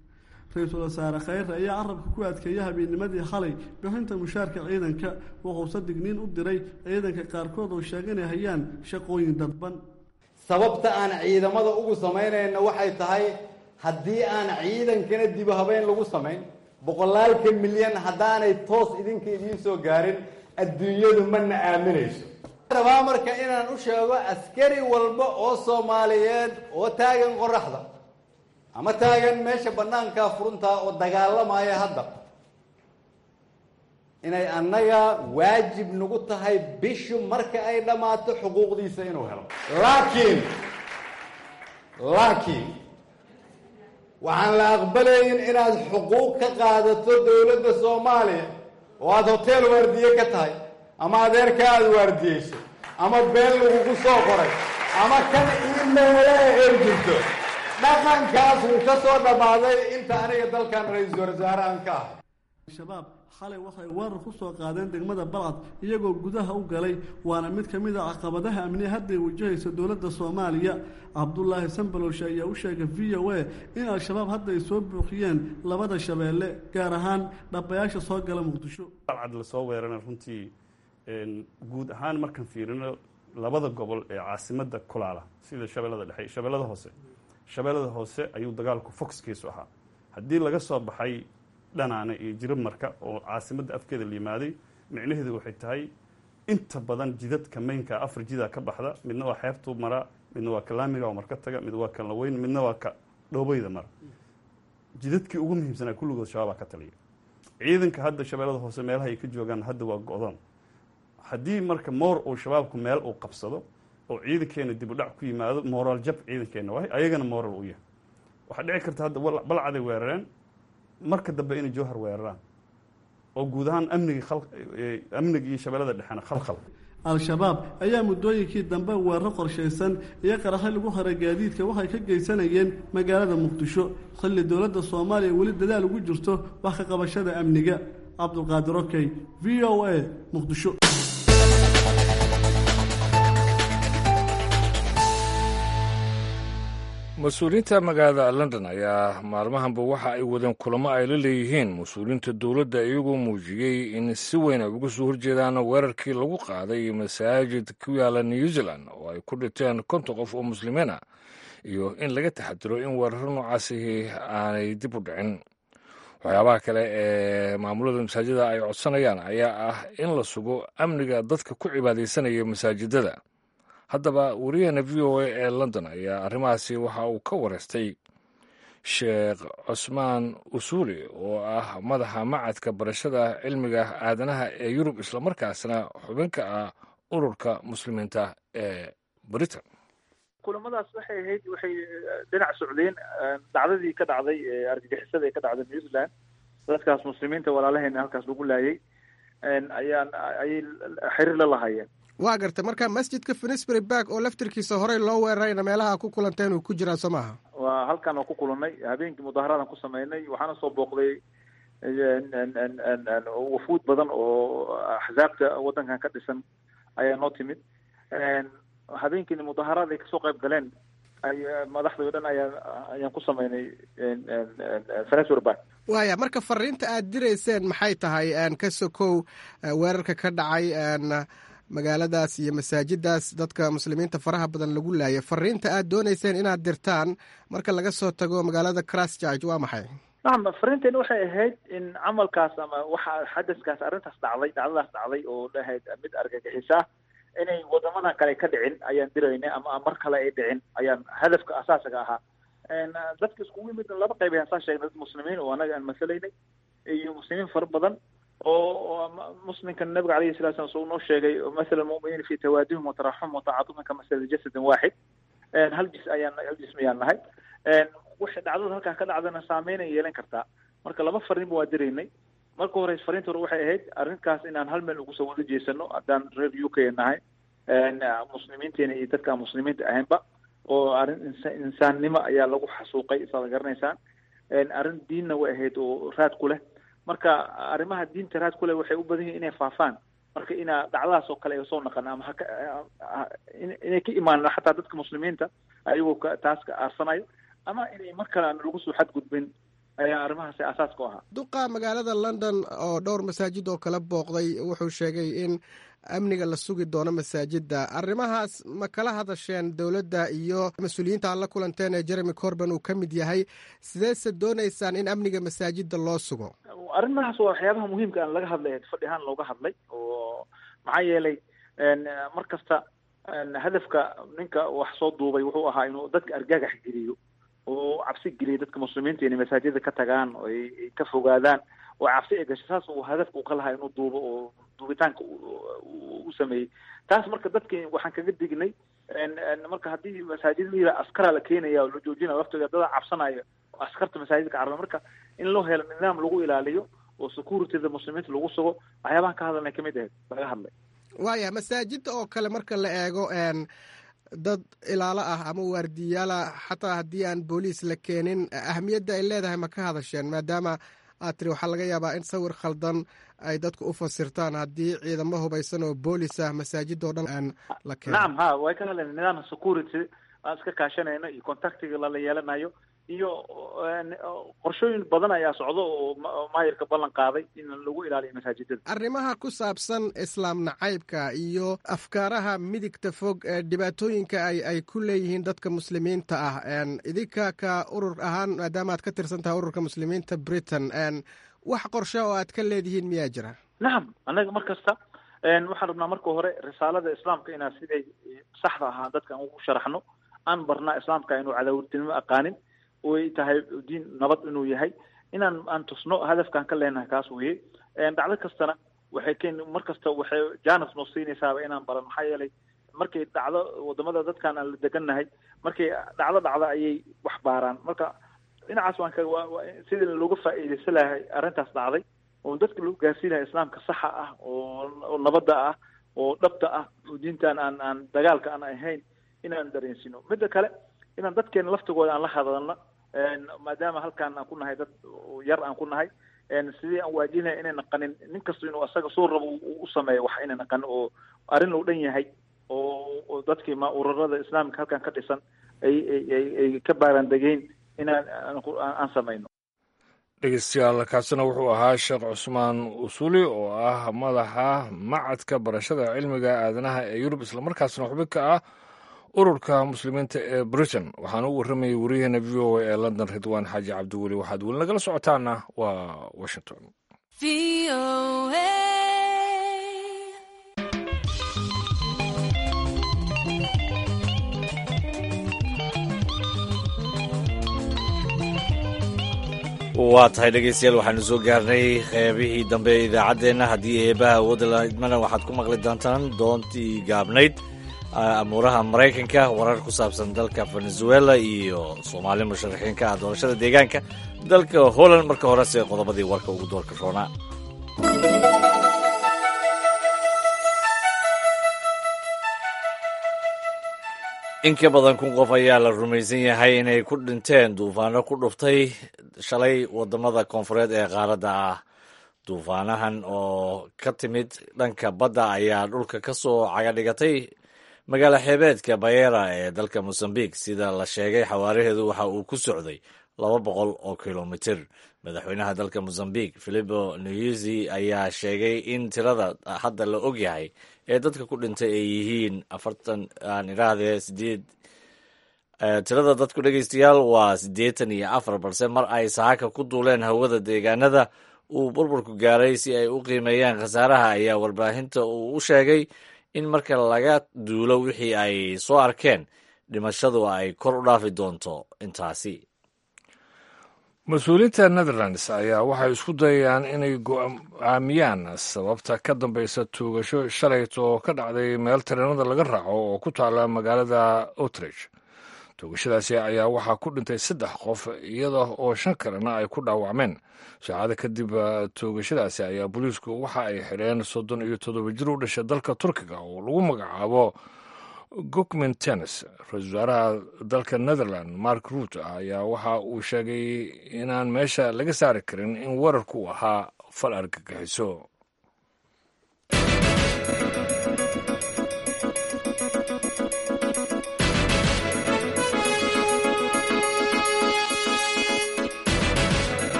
Ra-iisul Wasaare Khayre ayaa carabka ku adkeeyay habeennimadii xalay bixinta mushaarka ciidanka, wuxuuse digniin u diray ciidanka qaarkood oo sheegay inay hayaan shaqooyin dadban. Sababta aan ciidamada ugu samaynayna waxay tahay haddii aan ciidankana dibu habeyn lagu samayn, boqolaalka milyan haddaanay toos idinka idiin soo gaarin, adduunyadu mana aaminayso. Rabaa marka inaan u sheego askari walba oo Soomaaliyeed oo taagan qoraxda ama taagan meesha bannaankaa furuntaa oo dagaalamaya hadda inay annaga waajib nagu tahay bishu marka ay dhammaato xuquuqdiisa inuu helo. laakiin laakiin waxaan la aqbalaynin inaad xuquuq ka qaadato dowladda Soomaaliya oo aada hotel waardiye ka tahay ama adeerka aada waardiyeyso ama been lagugu soo qoray ama kan iimeele ay jirto. Dhaqankaas wuu ka soo dhammaaday inta aniga dalkan ra-iisul wasaare aan ka ahay. Shabaab xalay waxay weerar ku soo qaadeen degmada Balcad iyagoo gudaha u galay, waana mid ka mid a caqabadaha amni hadday wajahaysa dowladda Soomaaliya. Cabdulaahi Sambalowshe ayaa u sheegay V O A in Al-Shabaab hadda ay soo buuxiyeen labada shabeelle, gaar ahaan dhabayaasha soo gala Muqdisho. Balcad lasoo weerana runtii guud ahaan markaan fiirino labada gobol ee caasimadda kulaala sida Shabeellada Dhexe iyo Shabeellada Hoose, Shabeellada Hoose ayuu dagaalku focuskiisu ahaa. Haddii laga soo baxay Dhanaane iyo Jirib marka oo caasimadda afkeeda la yimaaday, micnaheedu waxay tahay inta badan jidadka maynka afar jidaa ka baxda, midna waa xeebtuu maraa, midna waa kalaamiga oo marka taga, mid waa kan laweyn, midna waa ka Dhoobeyda mara, jidadkii ugu muhiimsanaa kulligood Shabaabaa ka taliya. Ciidanka hadda Shabeellada Hoose meelaha ay ka joogaan hadda waa go-doon. Haddii marka moor uu Shabaabku meel uu qabsado oo ciidankeena dib u dhac ku yimaado, moraal jab ciidankeena waay, ayagana moral u yahay. Waxaa dhici karta hadda Balcaday weerareen, marka dambe inay Jowhar weeraraan oo guud ahaan amnigii amniga iyo Shabeellada Dhexena khalkhal. Al-Shabaab ayaa muddooyinkii dambe weeraro qorshaysan iyo qaraxyo lagu xiray gaadiidka waxay ka geysanayeen magaalada Muqdisho, xilli dowladda Soomaaliya weli dadaal ugu jirto wax ka qabashada amniga. Cabdulqaadir Okey, V O A, Muqdisho. Mas-uuliyiinta magaalada London ayaa maalmahanba waxa ay wadeen kulamo ay la leeyihiin mas-uuliyiinta dowladda, iyagoo muujiyey in si weyn ay uga soo horjeedaan weerarkii lagu qaaday masaajid ku yaala New Zealand oo ay ku dhinteen konton qof oo muslimiin ah, iyo in laga taxadiro in weeraro noocaasihi aanay dib u dhicin. Waxyaabaha kale ee maamulada masaajida ay codsanayaan ayaa ah in la sugo amniga dadka ku cibaadaysanaya masaajidada. Haddaba wariyaheena V O A ee London ayaa arrimahaasi waxa uu ka wareystay Sheekh Cusmaan Usuuli oo ah madaxa macadka barashada cilmiga aadanaha ee Yurub, islamarkaasna xubinka ah ururka muslimiinta ee Britain. Kulamadaas waxay ahayd, waxay dhinac socdeen dhacdadii ka dhacday argagixisada ee ka dhacday New Zealand, dadkaas muslimiinta walaalaheena halkaas lagu laayay ayaan ayay xiriir la lahaayeen. Waa gartay. Marka masjidka Finsbury Park oo laftirkiisa horey loo weerarayna meelaha ku kulanteen uu ku jiraa, soo maaha? Waa halkan oo ku kulannay habeenkii, mudaaharadan ku sameynay. Waxaana soo booqday wafuud badan oo axsaabta waddankan ka dhisan ayaa noo timid. Habeenkiina mudaaharaad ay kasoo qayb galeen ay madaxda o dhan ayaa ayaan ku sameynay Finsbury Park. Waaya, marka fariinta aad dirayseen maxay tahay ka sokow weerarka ka dhacay magaaladaas iyo masaajidaas dadka muslimiinta faraha badan lagu laayay? Fariinta aad doonayseen inaad dirtaan marka laga soo tago magaalada Christchurch waa maxay? Nacam, fariinteena waxay ahayd in camalkaas ama waxa xadaskaas arrintaas dhacday, dhacdadaas dhacday oo ahayd mid argagixisa ah, inay wadamadan kale ka dhicin ayaan diraynay, ama mar kale ay dhicin ayaan hadafka asaasiga ahaa. Dadka iskugu yimid laba qayb ayaan saa sheegnay, dad muslimiin oo anaga aan masalaynay iyo muslimiin fara badan oo muslimka nabiga alayhi salatu wasalam soo noo sheegay, masala almu'miniina fi tawaadihim wa taraxum wa tacaatufihim kamasali jasadin waaxid, hal jis ayaan hal jism ayaan nahay. Wixii dhacdada halkaa ka dhacdana saameyn ay yeelan kartaa. Marka laba fariinba waa diraynay. Marka hore fariinta hore waxay ahayd arrinkaas inaan hal meel ugu soo wada jeesano haddaan reer U K nahay, muslimiinteena iyo dadka aan muslimiinta ahaynba, oo arrin insaannimo ayaa lagu xasuuqay, saad garanaysaan. Arrin diinna way ahayd oo raad ku leh. Marka arrimaha diinta raad ku leh waxay u badan yihiin inay faafaan. Marka inaa dhacdadaas oo kale ay soo naqan ama haka inay ka imaan xataa dadka muslimiinta ayagoo taas ka aarsanayo, ama inay mar kale aan lagu soo xadgudbin ayaa arrimahaasi asaaska u ahaa. Duqa magaalada London oo dhowr masaajid oo kala booqday wuxuu sheegay in amniga la sugi doono masaajidda. Arrimahaas ma kala hadasheen dowladda iyo mas-uuliyiinta aad la kulanteen ee Jeremy Corbyn uu ka mid yahay? Sideese doonaysaan in amniga masaajidda loo sugo? Arrimahaas waa waxyaabaha muhiimka aan laga hadlay, fadhi ahaan looga hadlay, oo maxaa yeelay mar kasta hadafka ninka wax soo duubay wuxuu ahaa inuu dadka argagax geliyo oo cabsi geliyo dadka muslimiinta inay masaajida ka tagaan oo ay ka fogaadaan oo cabsi ay gasho. Saas uu hadafka uu ka lahaa inuu duubo oo duubitaanka u sameeyey taas. Marka dadki waxaan kaga dignay, marka haddii masaajid la yidhaha askaraa la keenaya oo la joojinaya laftiga dada cabsanaya oo askarta masaajidka caraba, marka in loo helo nidaam lagu ilaaliyo oo securityda muslimiinta lagu sugo, waxyaabahan ka hadalnay kamid ahayd laga hadlay. Waaya, masaajida oo kale marka la eego dad ilaalo ah ama waardiyaala, xataa haddii aan booliis la keenin, ahamiyadda ay leedahay ma ka hadasheen? Maadaama aad tiri waxaa laga yaabaa in sawir khaldan ay dadku u fasirtaan haddii ciidamo hubaysan oo boolis ah masaajida oo dhan aan la keenin. Nacam, ha, way ka hadleen nidaamka security aan iska kaashanayno iyo contactiga lala yeelanayo iyo qorshooyin badan ayaa socdo oo maayirka ballan qaaday in lagu ilaaliyo masaajidada. Arrimaha ku saabsan islaam nacaybka iyo afkaaraha midigta fog ee dhibaatooyinka ay ay ku leeyihiin dadka muslimiinta ah, idinka ka urur ahaan maadaama aad ka tirsan tahay ururka muslimiinta Britain, wax qorshe oo aad ka leedihiin miyaa jira? Nacam, annaga mar kasta waxaan rabnaa marka hore risaalada islaamka inaan siday saxda ahaa dadka aan ugu sharaxno, aan barnaa islaamka inuu cadaawirtinimo aqaanin, oy tahay diin nabad inuu yahay, inaan aan tusno hadafkaan ka leenahay kaas weye. Dhacdo kastana waxay keen mar kasta waxay janas noo siinaysaaba inaan baran, maxaa yeelay markay dhacdo wadamada dadkan aan la degannahay markay dhacdo dhacdo ayay wax baaraan. Marka dhinacaas waan ka sidii looga faa'iidaysan lahay arrintaas dhacday oo dadka lagu gaarsiin lahay islaamka saxa ah oo nabadda ah oo dhabta ah oo diintan aan aan dagaalka aan ahayn inaan dareensino. Midda kale inaan dadkeena laftigooda aan la hadalno, maadaama halkaan aan ku nahay dad yar aan ku nahay, sidii aan waajinahay inay naqanin nin kasta inuu asaga soo rabo u sameeyo wax inay naqanin oo arrin loo dhan yahay oo dadkii ma ururada islaamka halkan ka dhisan ay ay ay ka baaraan degeyn inaan aan samayno. Dhegeystayaal, kaasina wuxuu ahaa Sheekh Cusmaan Usuli oo ah madaxa macadka barashada cilmiga aadanaha ee Yurub, islamarkaasna xubin ka ah ururka muslimiinta ee Britain. Waxaana u warramayay wariyaheena V O A ee London, Ridwaan Xaaji Cabdiweli. Waxaad weli nagala socotaana waa Washington. Waa tahay dhegeystayaal, waxaanu soo gaarnay qeybihii dambe ee idaacaddeenna. Haddii eebaha awoodda laidmana waxaad ku maqli doontaan doontii gaabnayd, amuuraha Maraykanka, warar ku saabsan dalka Venezuela iyo Soomaali musharaxiin ka ah doorashada deegaanka dalka Holland. Marka horese qodobadii warka ugu doorka roonaa. In ka badan kun qof ayaa la rumaysan yahay inay ku dhinteen duufaano ku dhuftay shalay wadamada koonfureed ee qaaradda ah. Duufaanahan oo ka timid dhanka badda ayaa dhulka ka soo cagadhigatay magaalo xeebeedka Bayera ee dalka Mosambik. Sida la sheegay, xawaaraheedu waxa uu ku socday laba boqol oo kilomitir. Madaxweynaha dalka Mosambik Filipo Nyusi ayaa sheegay in tirada hadda la ogyahay ee dadka ku dhintay ay yihiin afartan, aan idhaahdee sideed. Tirada dadku, dhegeystayaal, waa siddeetan iyo afar, balse mar ay saaka ku duuleen hawada deegaanada uu burburku gaaray si ay u qiimeeyaan khasaaraha ayaa warbaahinta uu u sheegay in marka laga duulo wixii ay soo arkeen dhimashadu ay kor u dhaafi doonto intaasi. Mas-uuliyiinta Netherlands ayaa waxay isku dayayaan inay go'aamiyaan sababta ka dambeysa tuugasho shalayt oo ka dhacday meel tareenada laga raaco oo ku taala magaalada Utrecht. Toogashadaasi ayaa waxaa ku dhintay saddex qof, iyada oo shan kalena ay ku dhaawacmeen. Saacada kadib toogashadaasi ayaa booliisku waxa ay xidheen soddon iyo toddoba jir u dhashay dalka Turkiga oo lagu magacaabo Gokmen Tennis. Ra-iisul wasaaraha dalka Netherland Mark Rutte ayaa waxa uu sheegay inaan meesha laga saari karin in weerarku ahaa fal argagixiso.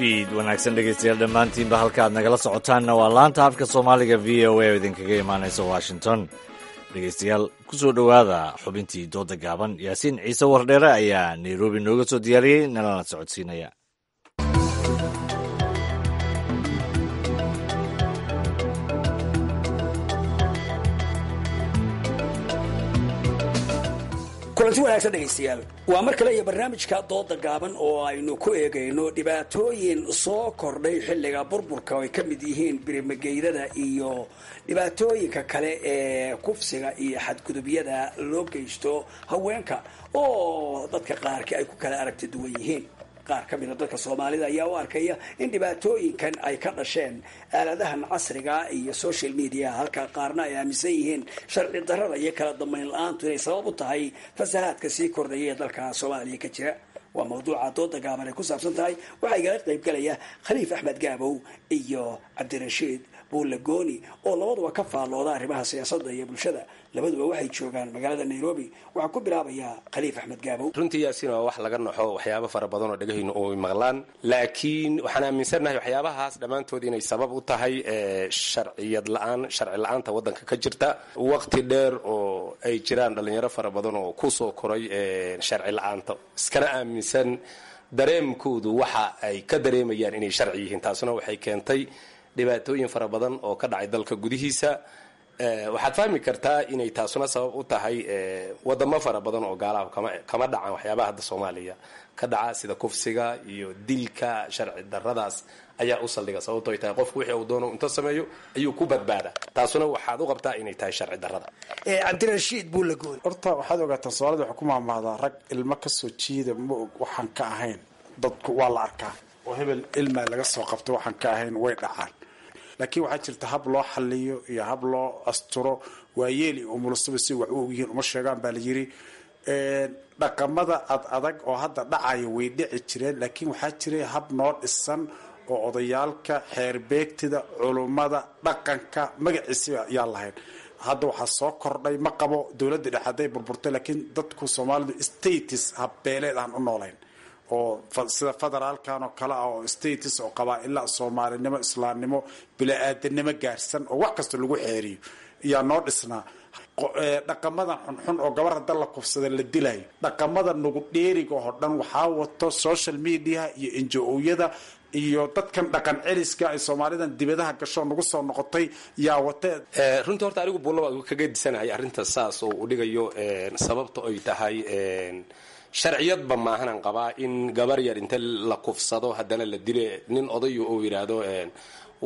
Fiid wanaagsan dhegeystayaal dhammaantiinba, halka aad nagala socotaanna waa laanta afka Soomaaliga V O A oo idinkaga imaanaysa Washington. Dhegeystayaal, ku soo dhowaada xubintii dooda gaaban. Yaasiin Ciise Wardheere ayaa Nairobi nooga soo diyaariyey, nalana socodsiinaya. Kulanti wanaagsan dhegaystayaal, waa mar kale iyo barnaamijka dooda gaaban oo aynu ku eegayno dhibaatooyin soo kordhay xilliga burburka oo ay ka mid yihiin birimageydada iyo dhibaatooyinka kale ee kufsiga iyo xadgudubyada loo geysto haweenka oo dadka qaarkii ay ku kala aragti duwan yihiin. Qaar ka mida dadka Soomaalida ayaa u arkaya in dhibaatooyinkan ay ka dhasheen aaladahan casriga iyo social media, halka qaarna ay aaminsan yihiin sharci darrada iyo kala dambayn la-aantu inay sabab u tahay fasahaadka sii kordhaya ee dalka Soomaaliya ka jira. Waa mawduuca dooda gaaban ay ku saabsan tahay. Waxaa igala qayb galaya Khaliif Axmed Gaabow iyo Cabdirashiid Buulle Gooni oo labaduba ka faallooda arrimaha siyaasadda iyo bulshada. Labaduba waxay joogaan magaalada Nairobi. Waxaa ku bilaabayaa Khaliif Axmed Gaabow. Runtii Yaasiin, waa wax laga naxo waxyaabo fara badan oo dhegahaynu oy maqlaan, laakiin waxaan aaminsannahay waxyaabahaas dhammaantood inay sabab u tahay sharciyad la-aan, sharci la-aanta waddanka ka jirta waqti dheer oo ay jiraan dhallinyaro fara badan oo ku soo koray sharci la-aanta, iskana aaminsan dareemkoodu waxa ay ka dareemayaan inay sharci yihiin. Taasuna waxay keentay dhibaatooyin fara badan oo ka dhacay dalka gudihiisa. Waxaad fahmi kartaa inay taasuna sabab u tahay wadamo fara badan oo gaalaha kama dhacaan waxyaabaha hadda Soomaaliya ka dhaca, sida kufsiga iyo dilka sharci daradaas ayaa u saldhiga. Sababto ay tahay qofku wixii uu doono inta sameeyo ayuu ku badbaadaa, taasuna waxaad u qabtaa inay tahay sharci darada. Cabdirashiid Buulagooni, horta waxaad ogaataa Soomaalida waxay ku maahmaahdaa rag ilmo ka soo jiida ma og waxaan ka ahayn, dadku waa la arkaa oo hebel ilmaa laga soo qabto waxaan ka ahayn way dhacaan. Laakiin waxaa jirta hab loo xaliyo iyo hab loo asturo. Waayeel iyo umulusaba si wax u ogyihiin uma sheegaan baa la yiri. Dhaqamada ad adag oo hadda dhacaya way dhici jireen, laakiin waxaa jiray hab noo dhisan oo odayaalka, xeerbeegtida, culummada, dhaqanka magaciisa yaa lahayn. Hadda waxaa soo kordhay, ma qabo dowladda dhexe hadday burburtay, laakiin dadku Soomaalidu status habbeeleed aan u noolayn oo sida federaalkan oo kale ah oo status oo qabaa-ila soomaalinimo, islaamnimo, bila-aadanimo gaarsan oo wax kasta lagu xeeriyo yaa noo dhisnaa. Dhaqamadan xunxun oo gabar hadda la kufsada la dilayo, dhaqamada nugu dheeriga oo dhan waxaa wato social media iyo N G O-yada iyo dadkan dhaqan celiska ay Soomaalidan dibadaha gasho nagu soo noqotay yaa wate. Runtii horta anigu buulla baan kaga disanahay arrinta saas oo u dhigayo. Sababta ay tahay sharciyadba maahanan qabaa in gabar yar inta la kufsado haddana la dile, nin odayu uu yidhaahdo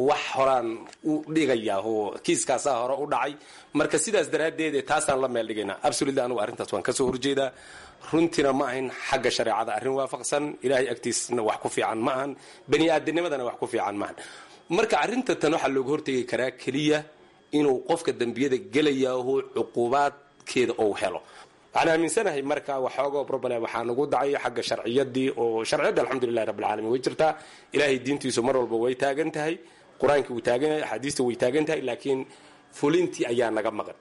wax horaan u dhigayaa oo kiiskaasaa hore u dhacay, marka sidaas daraaddeed taasaan la meel dhigaynaa. Absolutely anigu arrintaas waan kasoo horjeedaa. Runtiina ma ahin xagga shareecada arrin waafaqsan, ilaahay agtiisna wax ku fiican ma ahan, bani aadamnimadana wax ku fiican maahan. Marka arrinta tan waxaa looga hortegi karaa keliya inuu qofka dembiyada gelayaahu cuqubaadkeeda uu helo. Waxaan aaminsanahay marka waxoogoo problem waxaa nagu dhacay xagga sharciyadii, oo sharciyadda alxamdulilahi rabbil caalamiin way jirtaa, ilaahay diintiisu mar walba way taagan tahay, qur-aankii wuu taagan yahay, axaadiista way taagan tahay, laakiin fulintii ayaa naga maqan.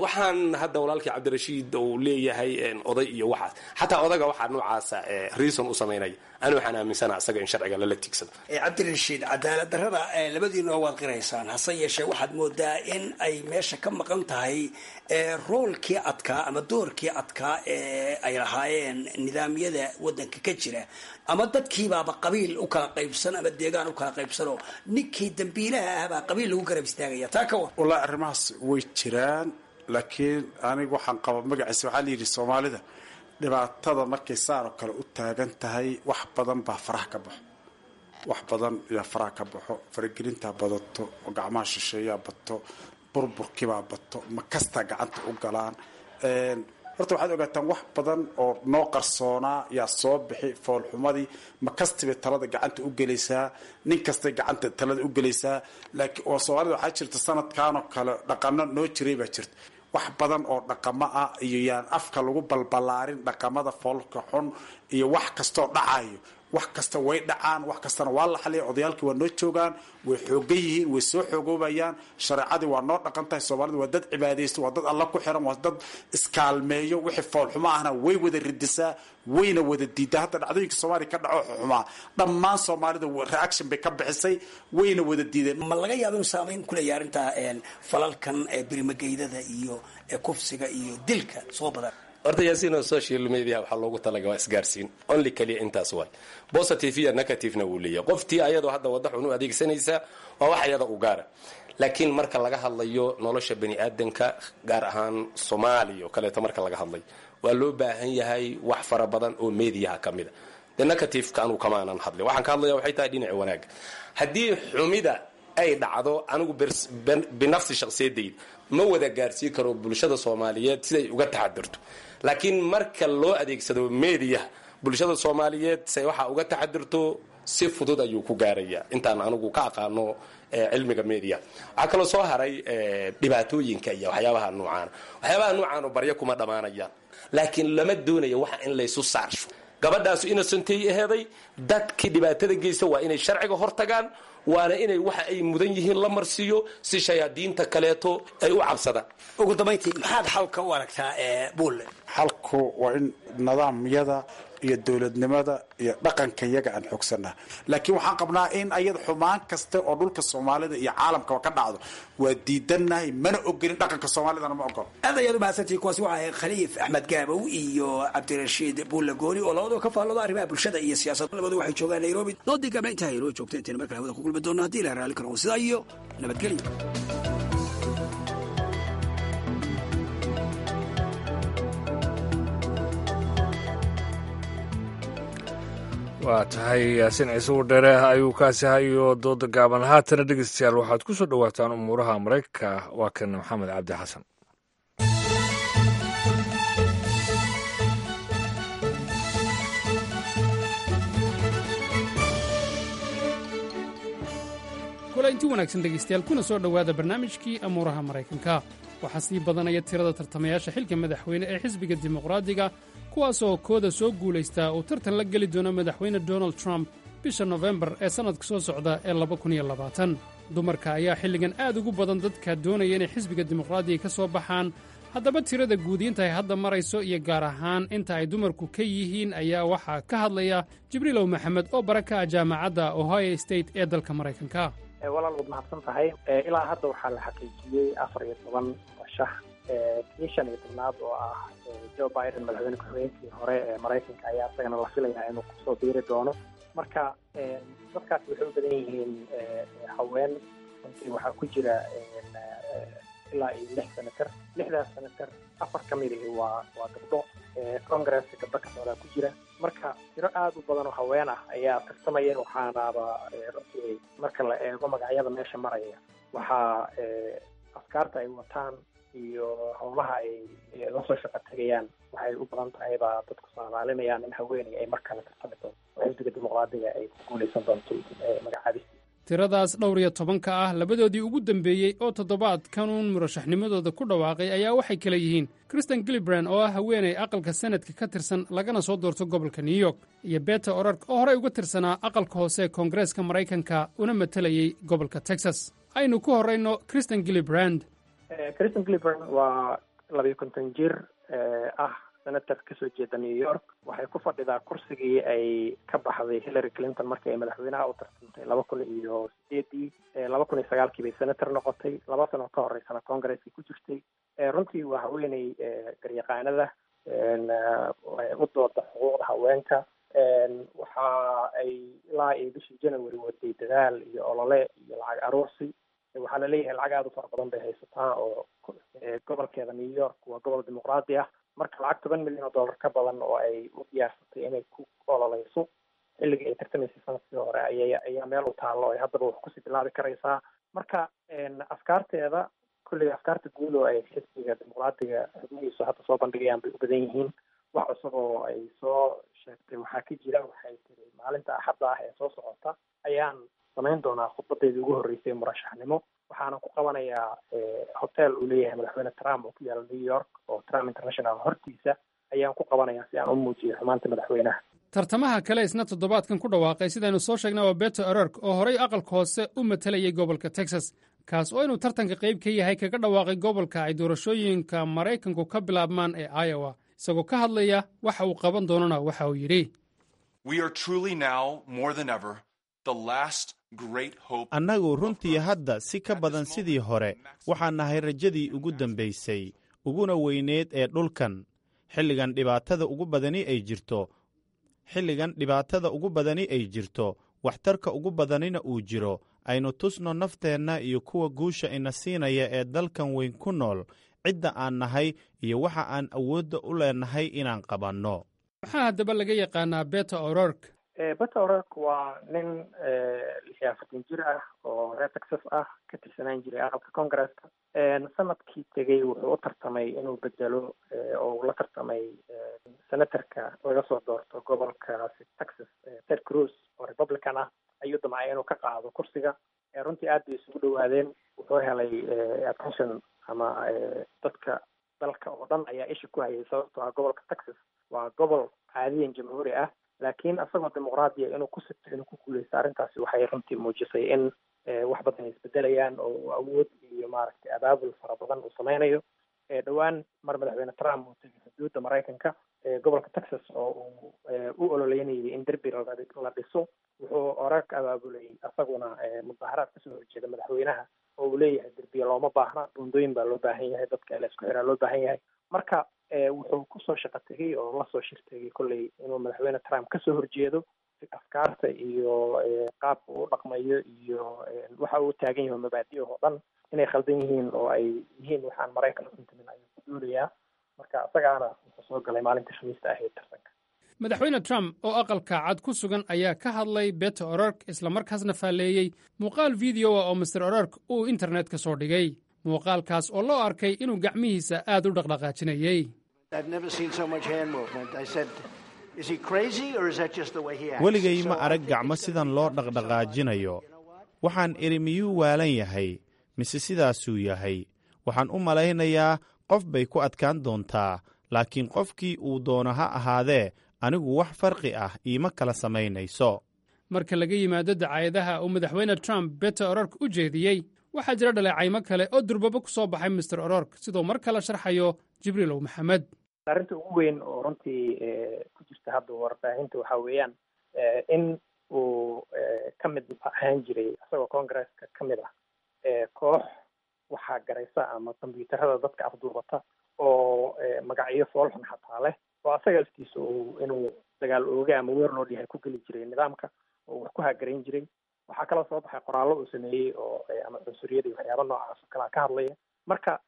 Waxaan hadda walaalkii Cabdirashiid uu leeyahay oday iyo waxaas, xataa odaga waxaa noocaasa reason u samaynaya, ani waxaan aaminsanaha isaga in sharciga lala tiigsado. Cabdirashiid, cadaalad darrada labadiinoo waad qiraysaan, hase yeeshee waxaad moodaa in ay meesha ka maqan tahay roolkii adkaa ama doorkii adkaa ee ay lahaayeen nidaamyada waddanka ka jira, ama dadkiibaaba qabiil u kala qaybsan ama deegaan u kala qaybsanoo ninkii dambiilaha ah baa qabiil lagu garab istaagaya. Taa ka war. Wallaahi arrimahaas way jiraan, laakiin aniga waxaan qaba magaciisa waxaa la yidhi Soomaalida dhibaatada markay saan oo kale u taagan tahay wax badan baa faraha ka baxo, wax badan yaa faraha ka baxo, faragelintaa badato, gacmaha shisheeyaa bato, burburkiibaa bato, ma kastaa gacanta u galaan. Horta waxaad ogaataan wax badan oo noo qarsoonaa yaa soo bixi. Foolxumadii ma kastibay talada gacanta u gelaysaa, nin kastay gacanta talada u gelaysaa. Laakiin oo Soomaalida waxaa jirta sanadkan oo kale dhaqano noo jiray baa jirta, wax badan oo dhaqamo ah iyo yaan afka lagu balbalaarin dhaqamada foolka xun iyo wax kastoo dhacayo. Wax kasta way dhacaan, wax kastana waa la xaliya. Odayaalkii waa noo joogaan, way xoogan yihiin, way soo xoogoobayaan. Shareecadii waa noo dhaqan tahay. Soomaalidu waa dad cibaadaysto, waa dad alla ku xiran, waa dad iskaalmeeyo. Wixii foolxumo ahna way wada ridisaa, wayna wada diidaa. Hadda dhacdooyinka Soomaaliya ka dhaco xumaa dhammaan Soomaalida reaction bay ka bixisay, wayna wada diideen. Ma laga yaabo inuu saameyn ku leeyahay arrintaa falalkan birimageydada iyo kufsiga iyo dilka soo badan? Horta yaasiin, social media waxaa loogu talaga waa isgaarsiin only kaliya, intaas waay. Positive iyo negativena wuu leeyahay. Qoftii ayadoo hadda wadda xun u adeegsanaysa waa wax ayada u gaara, laakiin marka laga hadlayo nolosha bani aadanka, gaar ahaan Soomaaliya oo kaleeto marka laga hadlayo, waa loo baahan yahay wax fara badan oo mediaha ka mid a. De negativeka anugu kamaanan hadlin, waxaan ka hadlaya waxay tahay dhinaca wanaaga. Haddii xumida ay dhacdo, anigu binafsi shakhsiyadayda ma wada gaarsiin karo bulshada Soomaaliyeed siday uga taxadirto, laakiin marka loo adeegsado mediaha bulshada Soomaaliyeed say waxaa uga taxadirto si fudud ayuu ku gaaraya intaan anigu ka aqaano cilmiga media. Waxaa kaloo soo haray dhibaatooyinka iyo waxyaabaha nuucaana. Waxyaabaha nuucaano baryo kuma dhammaanayaan, laakiin lama doonayo waxa in laysu saarsho. Gabadhaasu innocentay aheeday, dadkii dhibaatada geysta waa inay sharciga hortagaan, waana inay waxa ay mudan yihiin la marsiiyo si shayaadiinta kaleeto ay u cabsadaan. Ugu dambayntii, maxaad xalka u aragtaa Buulle? Xalku waa in nidaamyada iyo dowladnimada iyo dhaqanka iyaga aan xoogsanaa, laakiin waxaan qabnaa in ayada xumaan kasta oo dhulka Soomaalida iyo caalamkaba ka dhacdo waa diidannahay, mana ogolin, dhaqanka Soomaalidana ma ogolo. Aad ayaad umahadsantihi. Kuwaasi waxaa ahayd Khaliif Axmed Gaabow iyo Cabdirashiid Buulle Gooni oo labadaba ka faallooda arrimaha bulshada iyo siyaasadda. Labadu waxay joogaan Nairobi. Doodii gabna intaa inoo joogta, intayna markale hawada ku kulmi doonno haddii ilaha raalli karo, sidaa iyo nabadgelyo. Waa tahay, Yaasiin Ciise Wardheere ayuu kaasi hayo dooda gaaban. Haatana dhegeystayaal, waxaad ku soo dhowaataan umuuraha Maraykanka. Waa kan Maxamed Cabdi Xasan. Kulaynti wanaagsan dhegaystayaal, kuna soo dhowaada barnaamijkii amuuraha Maraykanka. Waxaa sii badanaya tirada tartamayaasha xilka madaxweyne ee xisbiga Dimuqraadiga, kuwaasoo kooda soo guulaystaa uu tartan la geli doono Madaxweyne Donald Trump bisha Nofembar ee sannadka soo socda ee laba kun iyo labaatan. Dumarka ayaa xilligan aad ugu badan dadka doonaya inay xisbiga Dimuqraadiga ka soo baxaan. Haddaba tirada guud inta ay hadda marayso iyo gaar ahaan inta ay dumarku ka yihiin ayaa waxaa ka hadlaya Jibriilow Maxamed oo bara ka ah jaamacadda Ohio State ee dalka Maraykanka. Walaal, waad mahadsan tahay. Ilaa hadda waxaa la xaqiijiyey afar iyo toban murashax. Kii shan iyo tobnaad oo ah Joe Biden, madaxweyne ku-xigeenkii hore ee Maraykanka, ayaa isagana la filayaa inuu kusoo biiri doono. Marka dadkaasi waxay u badan yihiin haween. Runtii waxaa ku jira ilaa iyo lix senator. Lixdaas senator afar ka mid ihi waa waa gabdho. Congresska gabdho ka socdaa ku jira. Marka tiro aada u badan oo haween ah ayaa tartamaya. Waxaanaba runtii marka la eego magacyada meesha maraya, waxaa afkaarta ay wataan iyo howlaha ay lasoo shaqo tegayaan, waxay u badan tahay baa dadku saadaalinayaan in haweeney ay mar kale tartami doonto oo xisbiga Dimuqraadiga ay ku guuleysan doonto magacaabistii. Tiradaas dhowr iyo tobanka ah, labadoodii ugu dambeeyey oo toddobaadkanuun murashaxnimadooda ku dhawaaqay ayaa waxay kale yihiin Kristen Gillibrand oo ah haweeney aqalka Senadka ka tirsan, lagana soo doorto gobolka New York, iyo Beto O'Rourke oo horey uga tirsanaa aqalka hoose ee Koongareeska Maraykanka una matalayey gobolka Texas. Aynu ku horrayno Kristen Gillibrand. Kristen Gillibrand waa labiyo konton jir ah, senator kasoo jeeda New York. Waxay ku fadhidaa kursigii ay ka baxday Hillary Clinton markii ay madaxweynaha u tartantay laba kun iyo sideedii. Laba kun iyo sagaalkii bay senator noqotay. Laba sano ka horeysana congresskii ku jirtay. Runtii waa haweeney garyaqaanada u dooda xuquuqda haweenka. Waxa ay ilaa iyo bishii January waday dadaal iyo olole iyo lacag aruursi. Waxaa laleeyahay lacag aada u fara badan bay haysataa, oo gobolkeeda New York waa gobol dimuqraadi ah. Marka lacag toban milyan oo dollar ka badan oo ay u diyaarsatay inay ku ololeyso xilligii ay tartamaysay sanadkii hore ayay ayaa meel u taallo ay haddaba wax kusii bilaabi karaysaa. Marka afkaarteeda kulliga, afkaarta guud oo ay xisbiga Dimuqraadiga xubnihiisu hadda soo bandhigayaan bay u badan yihiin. Wax cusub oo ay soo sheegtay waxaa ka jira, waxay tiri maalinta Axadda ah ee soo socota ayaan samayn doonaa khudbadeydii ugu horreysay murashaxnimo, waxaana ku qabanayaa hotel uu leeyahay Madaxweyne Trump oo ku yaala New York, oo Trump International hortiisa ayaan ku qabanayaa, si aan u muujiyo xumaanta madaxweynaha. Tartamaha kale isna toddobaadkan ku dhawaaqay, sidaynu soo sheegnay, waa Beto O'Rourke oo horey aqalka hoose u matalayay gobolka Texas, kaas oo inuu tartanka qayb ka yahay kaga dhawaaqay gobolka ay doorashooyinka Maraykanku ka bilaabmaan ee Iowa. Isagoo ka hadlaya waxa uu qaban doonana, waxa uu yidhi: Annagu runtii hadda si ka badan sidii hore waxaan nahay rajadii ugu dambaysay uguna weyneed ee dhulkan xilligan dhibaatada ugu badani ay jirto, xilligan dhibaatada ugu badani ay jirto, waxtarka ugu badanina uu jiro. Aynu tusno nafteenna iyo kuwa guusha ina siinaya ee dalkan weyn ku nool cidda aan nahay iyo waxa aan awoodda u leenahay inaan qabanno. Maxaa haddaba laga yaqaanaa Beto O'Rourke? Beto O'Rourke waa nin lix iyo afartan jir ah oo reer Texas ah, ka tirsanaan jiray aqalka Congresska. Sanadkii tegey wuxuu u tartamay inuu bedelo oo uu la tartamay senatorka laga soo doorto gobolkaasi Texas, Ted Cruz oo Republican ah, ayuu damcay inuu ka qaado kursiga. Runtii aad bay isugu dhowaadeen. Wuxuu helay attention ama dadka dalka oo dhan ayaa isha ku hayay, sababtoo ah gobolka Texas waa gobol caadiyan jamhuuri ah, laakiin asagoo dimuqraadiya inuu ku sigto inuu ku guuleysto, arrintaasi waxay runtii muujisay in wax badan ay isbedelayaan oo awood iyo maaragtay abaabul fara badan uu sameynayo. Dhowaan mar Madaxweyne Trump uu tegay xuduudda Maraykanka gobolka Texas oo uu u ololeynayay in derbi la dhiso, wuxuu O'Rourke abaabulay asaguna mudaharaad kasoo horjeeda madaxweynaha oo uu leeyahay derbiya looma baahna, buundooyin baa loo baahan yahay, dadka la isku xiraa loo baahan yahay. Marka wuxuu kusoo shaqo tegey oo lasoo shir tegay kolley inuu Madaxweyne Trump kasoo horjeedo afkaarta iyo qaabka uu dhaqmayo iyo waxa uu taagan yahay, mabaadi oo dhan inay khaldan yihiin oo ay yihiin waxaan Maraykan u intimin ayuu ku duulayaa. Marka isagaana wuxuu soo galay maalinta Khamiista ahayd tartanka. Madaxweyne Trump oo Aqalka Cad ku sugan ayaa ka hadlay Beto O'Rourke, islamarkaasna faalleeyey muuqaal video ah oo Mister O'Rourke uu internetka soo dhigay, muuqaalkaas oo loo arkay inuu gacmihiisa aad u dhaqdhaqaajinayey. Weligay ma arag gacmo sidan loo dhaqdhaqaajinayo. Waxaan idhi, miyuu waalan yahay mise sidaasuu yahay? Waxaan u malaynayaa qof bay ku adkaan doontaa, laakiin qofkii uu doono ha ahaadee, anigu wax farqi ah iima kala samaynayso. Marka laga yimaado dacaayadaha uu Madaxweyne Trump Beto O'Rourke u jeediyey, waxaa jira dhaleecaymo kale oo durbaba ku soo baxay Mister O'Rourke, siduu mar kale sharxayo Jibriilow Maxamed. Arrinta ugu weyn oo runtii ku jirta hadda warbaahinta waxaa weeyaan in uu ka mid ahaan jiray, isagoo congresska ka mid ah, koox waxaa garaysa ama kombyuutarada dadka afduubata oo magacyo foolxun xataa leh, oo asaga laftiisa uu inuu dagaal ooga ama warlord yahay ku geli jiray nidaamka oo wax ku haagarayn jiray. Waxaa kaloo soo baxay qoraallo uu sameeyey oo ama cunsuriyada iyo waxyaaba noocaas oo kalea ka hadlaya. Marka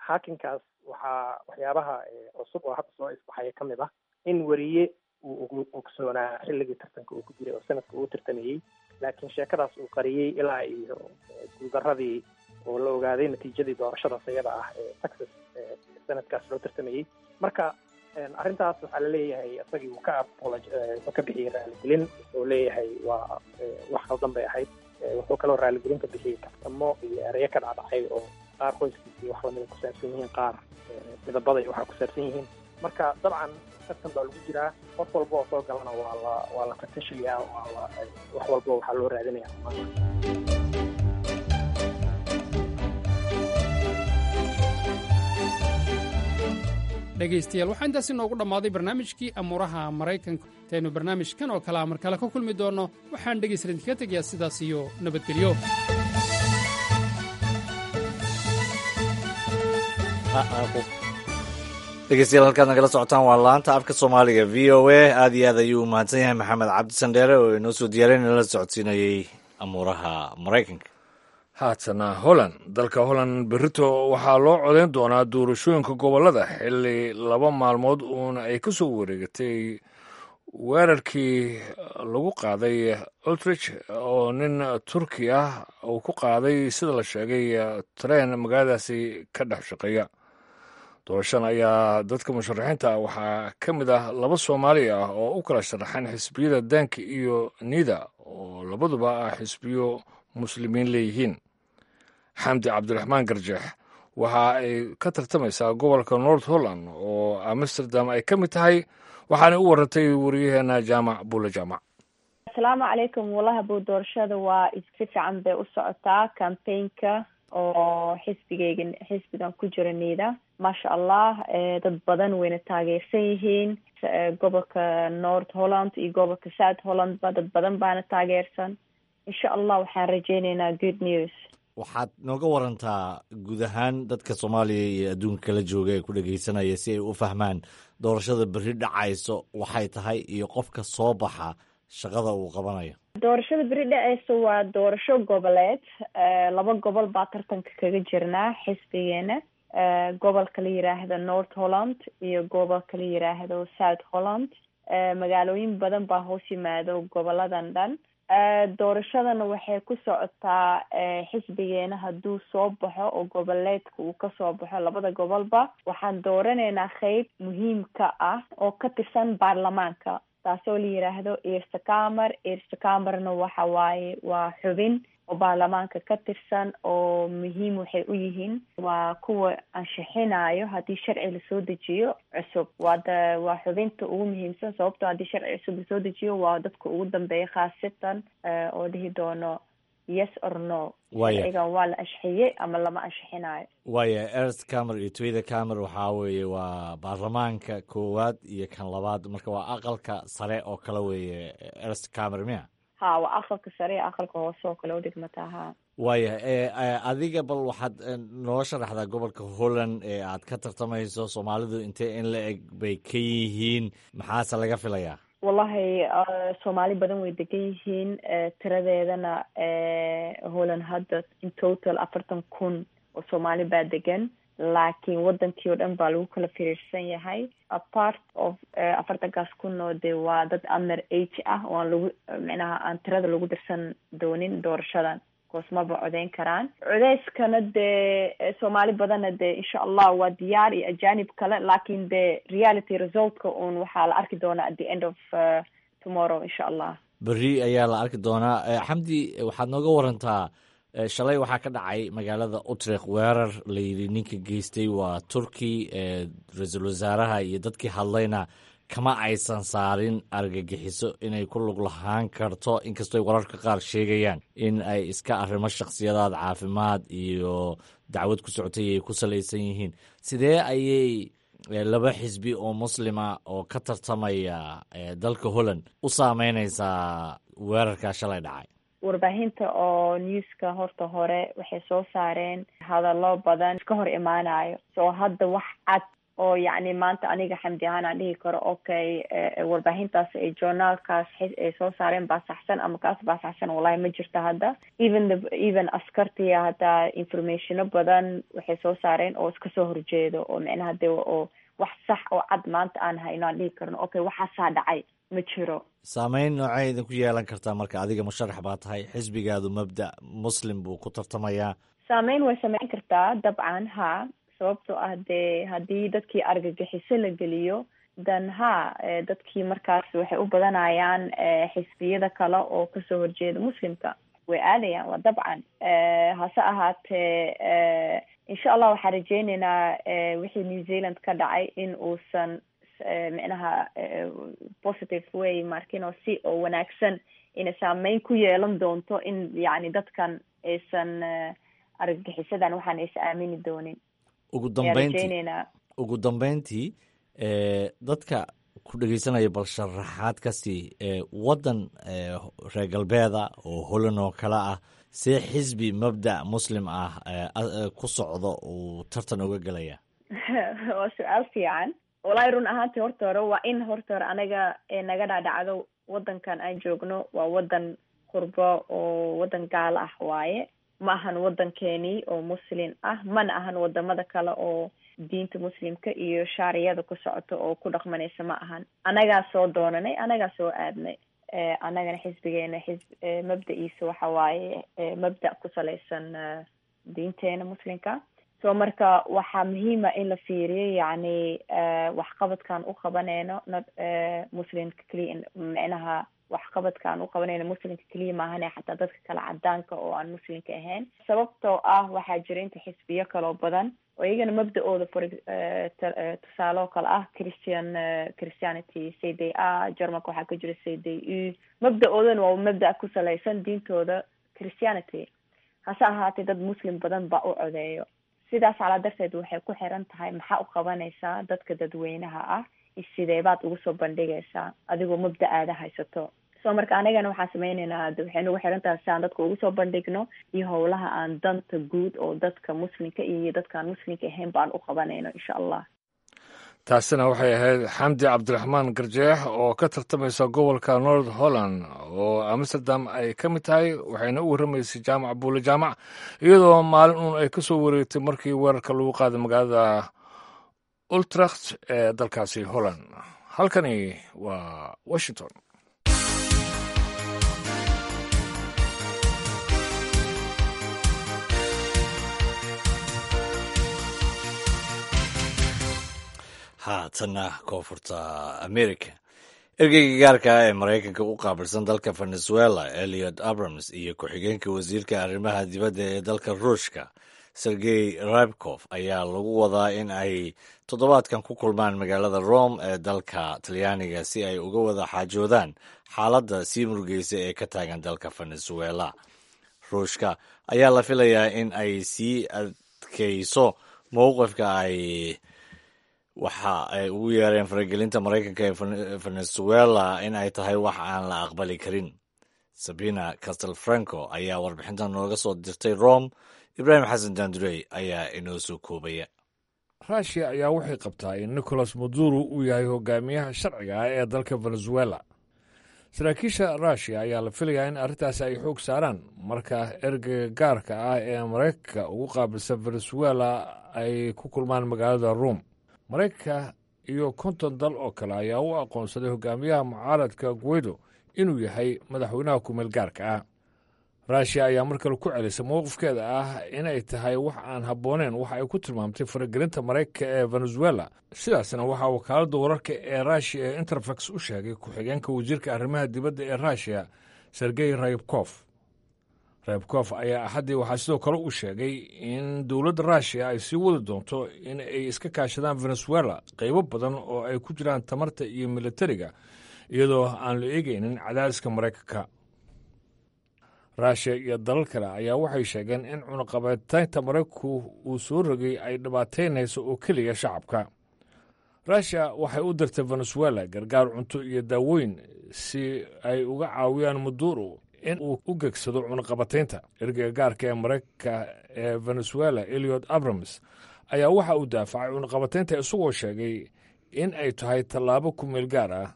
hacking-kaas waxaa waxyaabaha cusub oo hadda soo isbaxaya ka mid ah in weriye uu ugu ogsoonaa xilligii tartanka uu ku jiray oo sanadka uu tartamayey, laakiin sheekadaas uu qariyey ilaa iyo guuldaradii oo la ogaaday natiijadii doorashadaas iyada ah ee Texas sanadkaas loo tartamayey. Marka arrintaas waxaa laleeyahay isagii uu ka wuxuu ka bixiyey raaligelin. Wuxuu leeyahay waa wax khaldan bay ahayd. Wuxuu kaloo raaligelin ka bixiyey kaftamo iyo ereyo ka dhacdhacay oo qaar qoyskiisa iyo wax lamida ku saabsan yihiin, qaar midabada iyo waxaa ku saabsan yihiin. Marka dabcan tartan baa lagu jiraa, qof walba oo soo galana waa la waa la fatashayaa, waa la wax walba waxaa loo raadinaya. Dhegaystayaal, waxaa intaasi noogu dhammaaday barnaamijkii amuuraha Maraykanka. Intaynu barnaamijkan oo kalea mar kale ka kulmi doonno, waxaan dhegaysta idinkaga tegayaa sidaas iyo nabadgelyo. Dhegeystayaal, halkaad nagala socotaan waa laanta afka Soomaaliga V O A. Aad iyo aad ayuu u mahadsan yahay Maxamed Cabdi Sandheere oo inoo soo diyaarin la socodsiinayey amuuraha Maraykanka. Haatana Holland. Dalka Holland berrito waxaa loo codayn doonaa doorashooyinka gobollada, xilli laba maalmood uuna ay ka soo wareegatay weerarkii lagu qaaday Utrecht oo nin Turki ah uu ku qaaday, sida la sheegay, tareen magaaladaasi ka dhex shaqeeya. Doorashan ayaa dadka musharaxiinta ah waxaa ka mid ah laba Soomaali ah oo u kala sharaxan xisbiyada Daanka iyo Niida, oo labaduba ah xisbiyo Muslimiin leeyihiin. Xamdi Cabdiraxmaan Garjeex waxa ay ka tartamaysaa gobolka North Holland oo Amsterdam ay ka mid tahay, waxaana u warantay wariyaheena Jaamac Buule Jaamac. Asalaamu calaykum. Walahi buu doorashada waa si fiican bay u socotaa, campaignka oo xisbigayga, xisbigan ku jira Niida, maasha Allah, dad badan wayna taageersan yihiin. Gobolka North Holland iyo gobolka South Holland ba dad badan baana taageersan. Insha Allah waxaan rajeyneynaa good news. Waxaad nooga warantaa guud ahaan dadka Soomaaliya iyo adduunka kala jooga ee ku dhegeysanaya si ay u fahmaan doorashada berri dhacayso waxay tahay iyo qofka soo baxa shaqada uu qabanayo. Doorashada beri dhaceysa waa doorasho goboleed. Laba gobol baa tartanka kaga jirnaa xisbigeena, gobolka la yiraahdo North Holland iyo gobolka la yiraahdo South Holland. Magaalooyin badan baa hoos yimaado goboladan dhan. Doorashadana waxay ku socotaa, xisbigeena hadduu soo baxo oo goboleedka uu kasoo baxo labada gobolba, waxaan dooranaynaa qeyb muhiimka ah oo ka tirsan baarlamaanka, taasoo la yiraahdo Eerste Kamer. Eerste Kamerna waxa waaye waa xubin oo baarlamaanka ka tirsan oo muhiim waxay u yihiin waa kuwa anshixinayo haddii sharci lasoo dejiyo cusub. Waa da waa xubinta ugu muhiimsan, sababtoo haddii sharci cusub lasoo dejiyo waa dadka ugu dambeeya khaasatan oo dhihi doono yes or no, sharcigan waa la anshixiyey ama lama anshixinayo. Waaya, Eerste Kamer iyo Tweede Kamer waxaa weeye waa baarlamaanka koowaad iyo kan labaad, marka waa aqalka sare oo kale weeye Eerste Kamer miya? Ha, waa aqalka sare iyo aqalka hoose oo kale udhigmataa, ha. Waaya, adiga bal waxaad noo sharaxdaa gobolka Holland ee aad ka tartamayso, Soomaalidu intee in la eg bay ka yihiin, maxaase laga filayaa? Wallahi Soomaali badan way degan yihiin. Tiradeedana Holland hadda in total afartan kun oo Soomaali baa degan, Laakiin wadankii oo dhan baa lagu kala firiirsan yahay. Apart of afartankaas kun oo dee waa dad under age ah oo aan lagu, micnaha, aan tirada lagu dirsan doonin doorashadan, koos maba codeyn karaan. Codeyskana dee Soomaali badanna dee insha Allah waa diyaar iyo ajanib kale, laakiin dee reality resultka un waxaa la arki doonaa at the end of uh, tomorrow, insha Allah. Berri ayaa la arki doonaa. Xamdi, waxaad nooga warantaa, shalay waxaa ka dhacay magaalada Utrecht weerar la yidhi ninka geystay waa Turki. Ra-iisul wasaaraha iyo dadkii hadlayna kama aysan saarin argagixiso inay ku lug lahaan karto, inkastoo wararka qaar sheegayaan in ay iska arrimo shakhsiyadaad caafimaad iyo dacwad ku socotay ay ku salaysan yihiin. Sidee ayay laba xisbi oo muslima oo ka tartamaya dalka Holland u saameyneysaa weerarkaa shalay dhacay? Warbaahinta oo newska horta hore waxay soo saareen hadallo badan iska hor imaanayo. So hadda wax cad oo yacni maanta aniga Xamdi ahaan aan dhihi karo, okay, warbaahintaas ay journaalkaas ay soo saareen baa saxsan ama kaas baa saxsan, wallahi ma jirto hadda. Even the even askartiya hataa informationo badan waxay soo saareen oo iska soo horjeedo, oo micnaha de oo wax sax oo cad maanta aan hayno aan dhihi karno, okay, waxaasaa dhacay, ma jiro. Saameyn noocay idinku yeelan kartaa marka? Adiga musharax baa tahay, xisbigaadu mabda muslim buu ku tartamayaa. Saameyn way sameyn kartaa dabcan, ha, sababtoo ah dee haddii dadkii argagixiso la geliyo, dan ha, dadkii markaas waxay u badanayaan xisbiyada kale oo kasoo horjeeda muslimka way aadayaan, waa dabcan. Hase ahaatee, insha Allah waxaan rajeyneynaa wixii New Zealand ka dhacay in uusan, micnaha, positive way markino, si oo wanaagsan inay saameyn ku yeelan doonto, in yacni dadkan aysan argagixisadan waxaan aysan aamini doonin. Ugu dambeyntii, ugu dambeyntii, dadka ku dhegeysanaya bal sharaxaad ka sii waddan reer galbeeda oo Holland oo kale ah, see xisbi mabda' muslim ah ku socdo uu tartan uga gelaya? Waa su-aal fiican walahi. Run ahaantii, horta hore waa in horta hore anaga naga dhacdhacdo waddankan aan joogno waa waddan qurbo oo waddan gaalo ah waaye. Ma ahan waddankeeni oo muslim ah, mana ahan wadamada kale oo diinta muslimka iyo shaariyada ku socoto oo ku dhaqmanaysa ma ahan. Anagaa soo doonanay, anagaa soo aadnay. Anagana xisbigeena xisb mabda-iisa waxa waaye mabda' ku salaysan diinteena muslimka. So marka waxaa muhiima in la fiiriyo yacni waxqabadkaan u qabaneyno, not muslimka keliya, micnaha waxqabadkaan u qabanayno muslimka keliya maahane, xataa dadka kale cadaanka oo aan muslimka ahayn, sababtoo ah waxaa jira inta xisbiyo kaloo badan oo iyagana mabda-ooda, for tusaale oo kale ah Christian, Christianity, C D A. Germanka waxaa ka jira C D U. Mabda-oodana waa mabda' ku salaysan diintooda Christianity, hase ahaatee dad muslim badan baa u codeeyo. Sidaas calaa darteed waxay ku xiran tahay maxaa u qabanaysaa dadka dadweynaha ah iyo sidee baad ugu soo bandhigaysaa adigoo mabda-aada haysato. So marka anigana waxaan sameyneynaa, waxay nagu xiran tahay si aan dadka ugu soo bandhigno iyo howlaha aan danta guud oo dadka muslimka iyo dadkaan muslimka ahayn baan u qabanayno, insha Allah. Taasina waxay ahayd Xamdi Cabdiraxmaan Garjeex oo ka tartamaysa gobolka North Holland oo Amsterdam ay ka mid tahay, waxayna u warramaysay Jaamac Buule Jaamac, iyadoo maalin uun ay ka soo wareegtay markii weerarka lagu qaaday magaalada Utrecht ee dalkaasi Holland. Halkani waa Washington. Haatanna Koonfurta America. Ergeyga gaarka ah ee Maraykanka u qaabilsan dalka Venezuela, Eliot Abrams, iyo ku-xigeenka wasiirka arrimaha dibadda ee dalka Ruushka, Sergey Ryabkov, ayaa lagu wadaa in ay toddobaadkan ku kulmaan magaalada Rome ee dalka Talyaaniga si ay uga wada xaajoodaan xaaladda sii murugeysa ee ka taagan dalka Venezuela. Ruushka ayaa la filayaa in ay sii adkeyso mowqifka ay waxa ay ugu yeereen faragelinta Maraykanka ee Venezuela in ay tahay wax aan la aqbali karin. Sabina Castelfranco ayaa warbixintan nooga soo dirtay Rome. Ibraahim Xasan Dandurey ayaa inoo soo koobaya. Ruushiya ayaa waxay qabtaa in Nicolas Maduro uu yahay hogaamiyaha sharciga ah ee dalka Venezuela. Saraakiisha Ruushiya ayaa la filayaa in arrintaasi ay xoog saaraan marka ergeyga gaarka ah ee Maraykanka ugu qaabilsan Venezuela ay ku kulmaan magaalada Ruum. Maraykanka iyo konton dal oo kale ayaa u aqoonsaday hogaamiyaha mucaaradka Guaido inuu yahay madaxweynaha kumeel gaarka ah. Ruushiya ayaa mar kale ku celisay mowqifkeeda ah inay tahay wax aan habbooneyn waxa ay ku tilmaamtay faragelinta Maraykanka ee Venezuela. Sidaasna waxaa wakaaladda wararka ee Ruushiya ee Interfax u sheegay ku-xigeenka wasiirka arrimaha dibadda ee Ruushiya, Sergey Rybkof. Rybkof ayaa Axaddii waxaa sidoo kale uu sheegay in dowladda Ruushiya ay sii wadi doonto in ay iska kaashadaan Venezuela qaybo badan oo ay ku jiraan tamarta iyo militariga, iyadoo aan la eegaynin cadaadiska Maraykanka. Ruushiya iyo dalal kale ayaa waxay sheegeen in cunaqabataynta Maraykanku uu soo rogay ay dhibaataynayso oo keliya shacabka. Ruushiya waxay u dirtay Venezuela gargaar cunto iyo daawooyin si ay uga caawiyaan Maduro in uu u gegsado cunaqabataynta. Ergeyga gaarka ee Maraykanka ee Venezuela, Eliot Abrams, ayaa waxa uu daafacay cunaqabataynta, isagoo sheegay in ay tahay tallaabo ku meel gaar ah.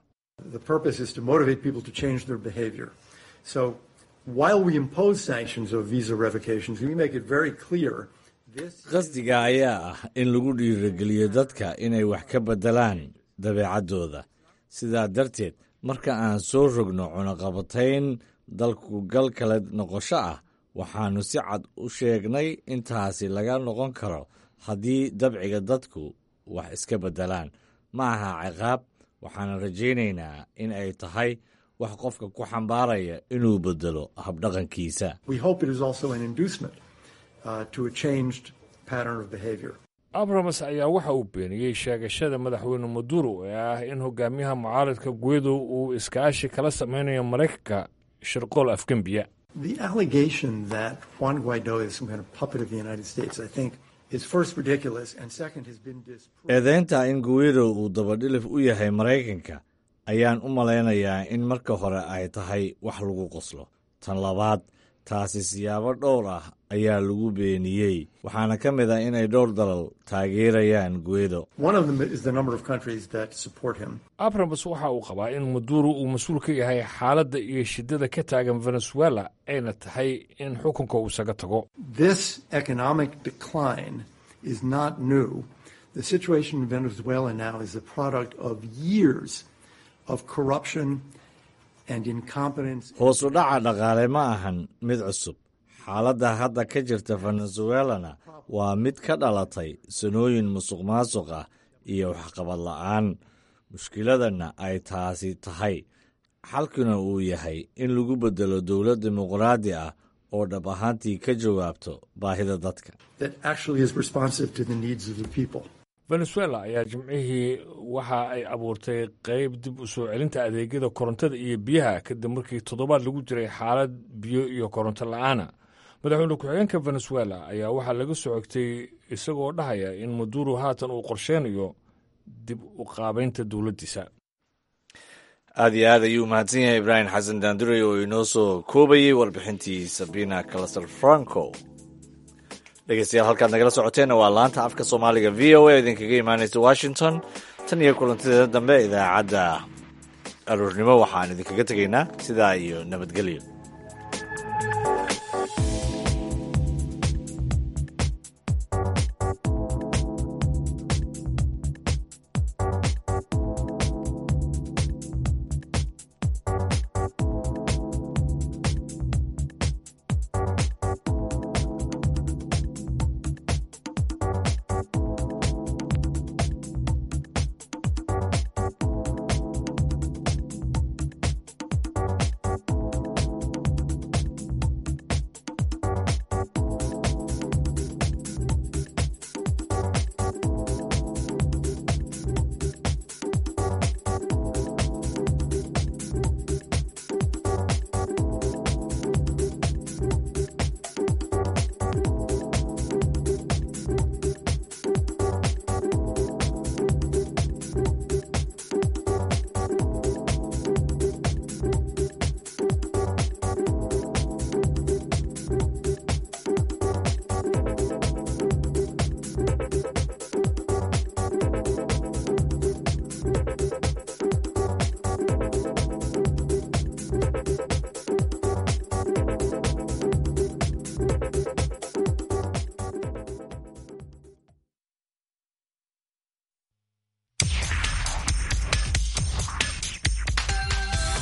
The purpose is to motivate people to change their behavior. So while we impose sanctions of visa revocations, we make it very clear this Qasdiga ayaa ah in lagu dhiirigeliyo dadka inay wax ka beddelaan dabeecaddooda. Sidaa darteed, marka aan soo rogno cunaqabatayn dalku-gal kala noqosho ah, waxaannu si cad u sheegnay intaasi laga noqon karo haddii dabciga dadku wax iska beddelaan. Ma aha ciqaab, waxaana rajaynaynaa in ay tahay wax qofka ku xambaaraya inuu beddelo habdhaqankiisa. We hope it is also an inducement uh, to a changed pattern of behavior. Abrams ayaa waxa uu beeniyey sheegashada madaxweyne Maduro ee ah in hogaamiyaha mucaaradka Guaido uu iskaashi kala sameynayo Maraykanka shirqool afgembiya. The allegation that Juan Guaido is some kind of puppet of the United States, I think, is first ridiculous and second has been disproved. Eedeynta in Guaido uu dabadhilif u yahay Maraykanka ayaan u malaynayaa in marka hore ay tahay wax lagu qoslo. Tan labaad, taasi siyaabo dhowr ah ayaa lagu beeniyey, waxaana ka mid ah inay dhowr dalal taageerayaan Guaido. One of them is the number of countries that support him. Abrams waxa uu qabaa in Maduro uu mas-uul ka yahay xaaladda iyo shiddada ka taagan Venezuela, ayna tahay in xukunka uu isaga tago. This economic decline is not new. The situation in Venezuela now is the product of years of corruption and incompetence. Hoos u dhaca dhaqaale ma ahan mid cusub. Xaaladda hadda ka jirta Venezuelana waa mid ka dhalatay sanooyin musuqmaasuq ah iyo waxqabad la'aan. Mushkiladana ay taasi tahay, xalkuna uu yahay in lagu beddelo dowlad dimuqraadi ah oo dhab ahaantii ka jawaabto baahida dadka. That actually is responsive to the needs of the people. Venezuela ayaa Jimcihii waxa ay abuurtay qeyb dib u soo celinta adeegyada korontada iyo biyaha kadib markii toddobaad lagu jiray xaalad biyo iyo koronto la'aana. Madaxweyne ku-xigeenka Venezuela ayaa waxaa laga soo xigtay isagoo dhahaya in Maduro haatan uu qorsheynayo dib u qaabaynta dowladdiisa. Aad iyo aad ayuu mahadsan yahay Ibraahim Xasan Daandurey oo inoo soo koobayey warbixintii Sabina Calaster Franco. Dhegeystayaal, halkaad nagala socoteenna waa laanta afka Soomaaliga V O A, idinkaga imaanaysa Washington. Tan iyo kulantideeda dambe idaacadda aroornimo, waxaan idinkaga tegaynaa sidaa iyo nabadgelyo.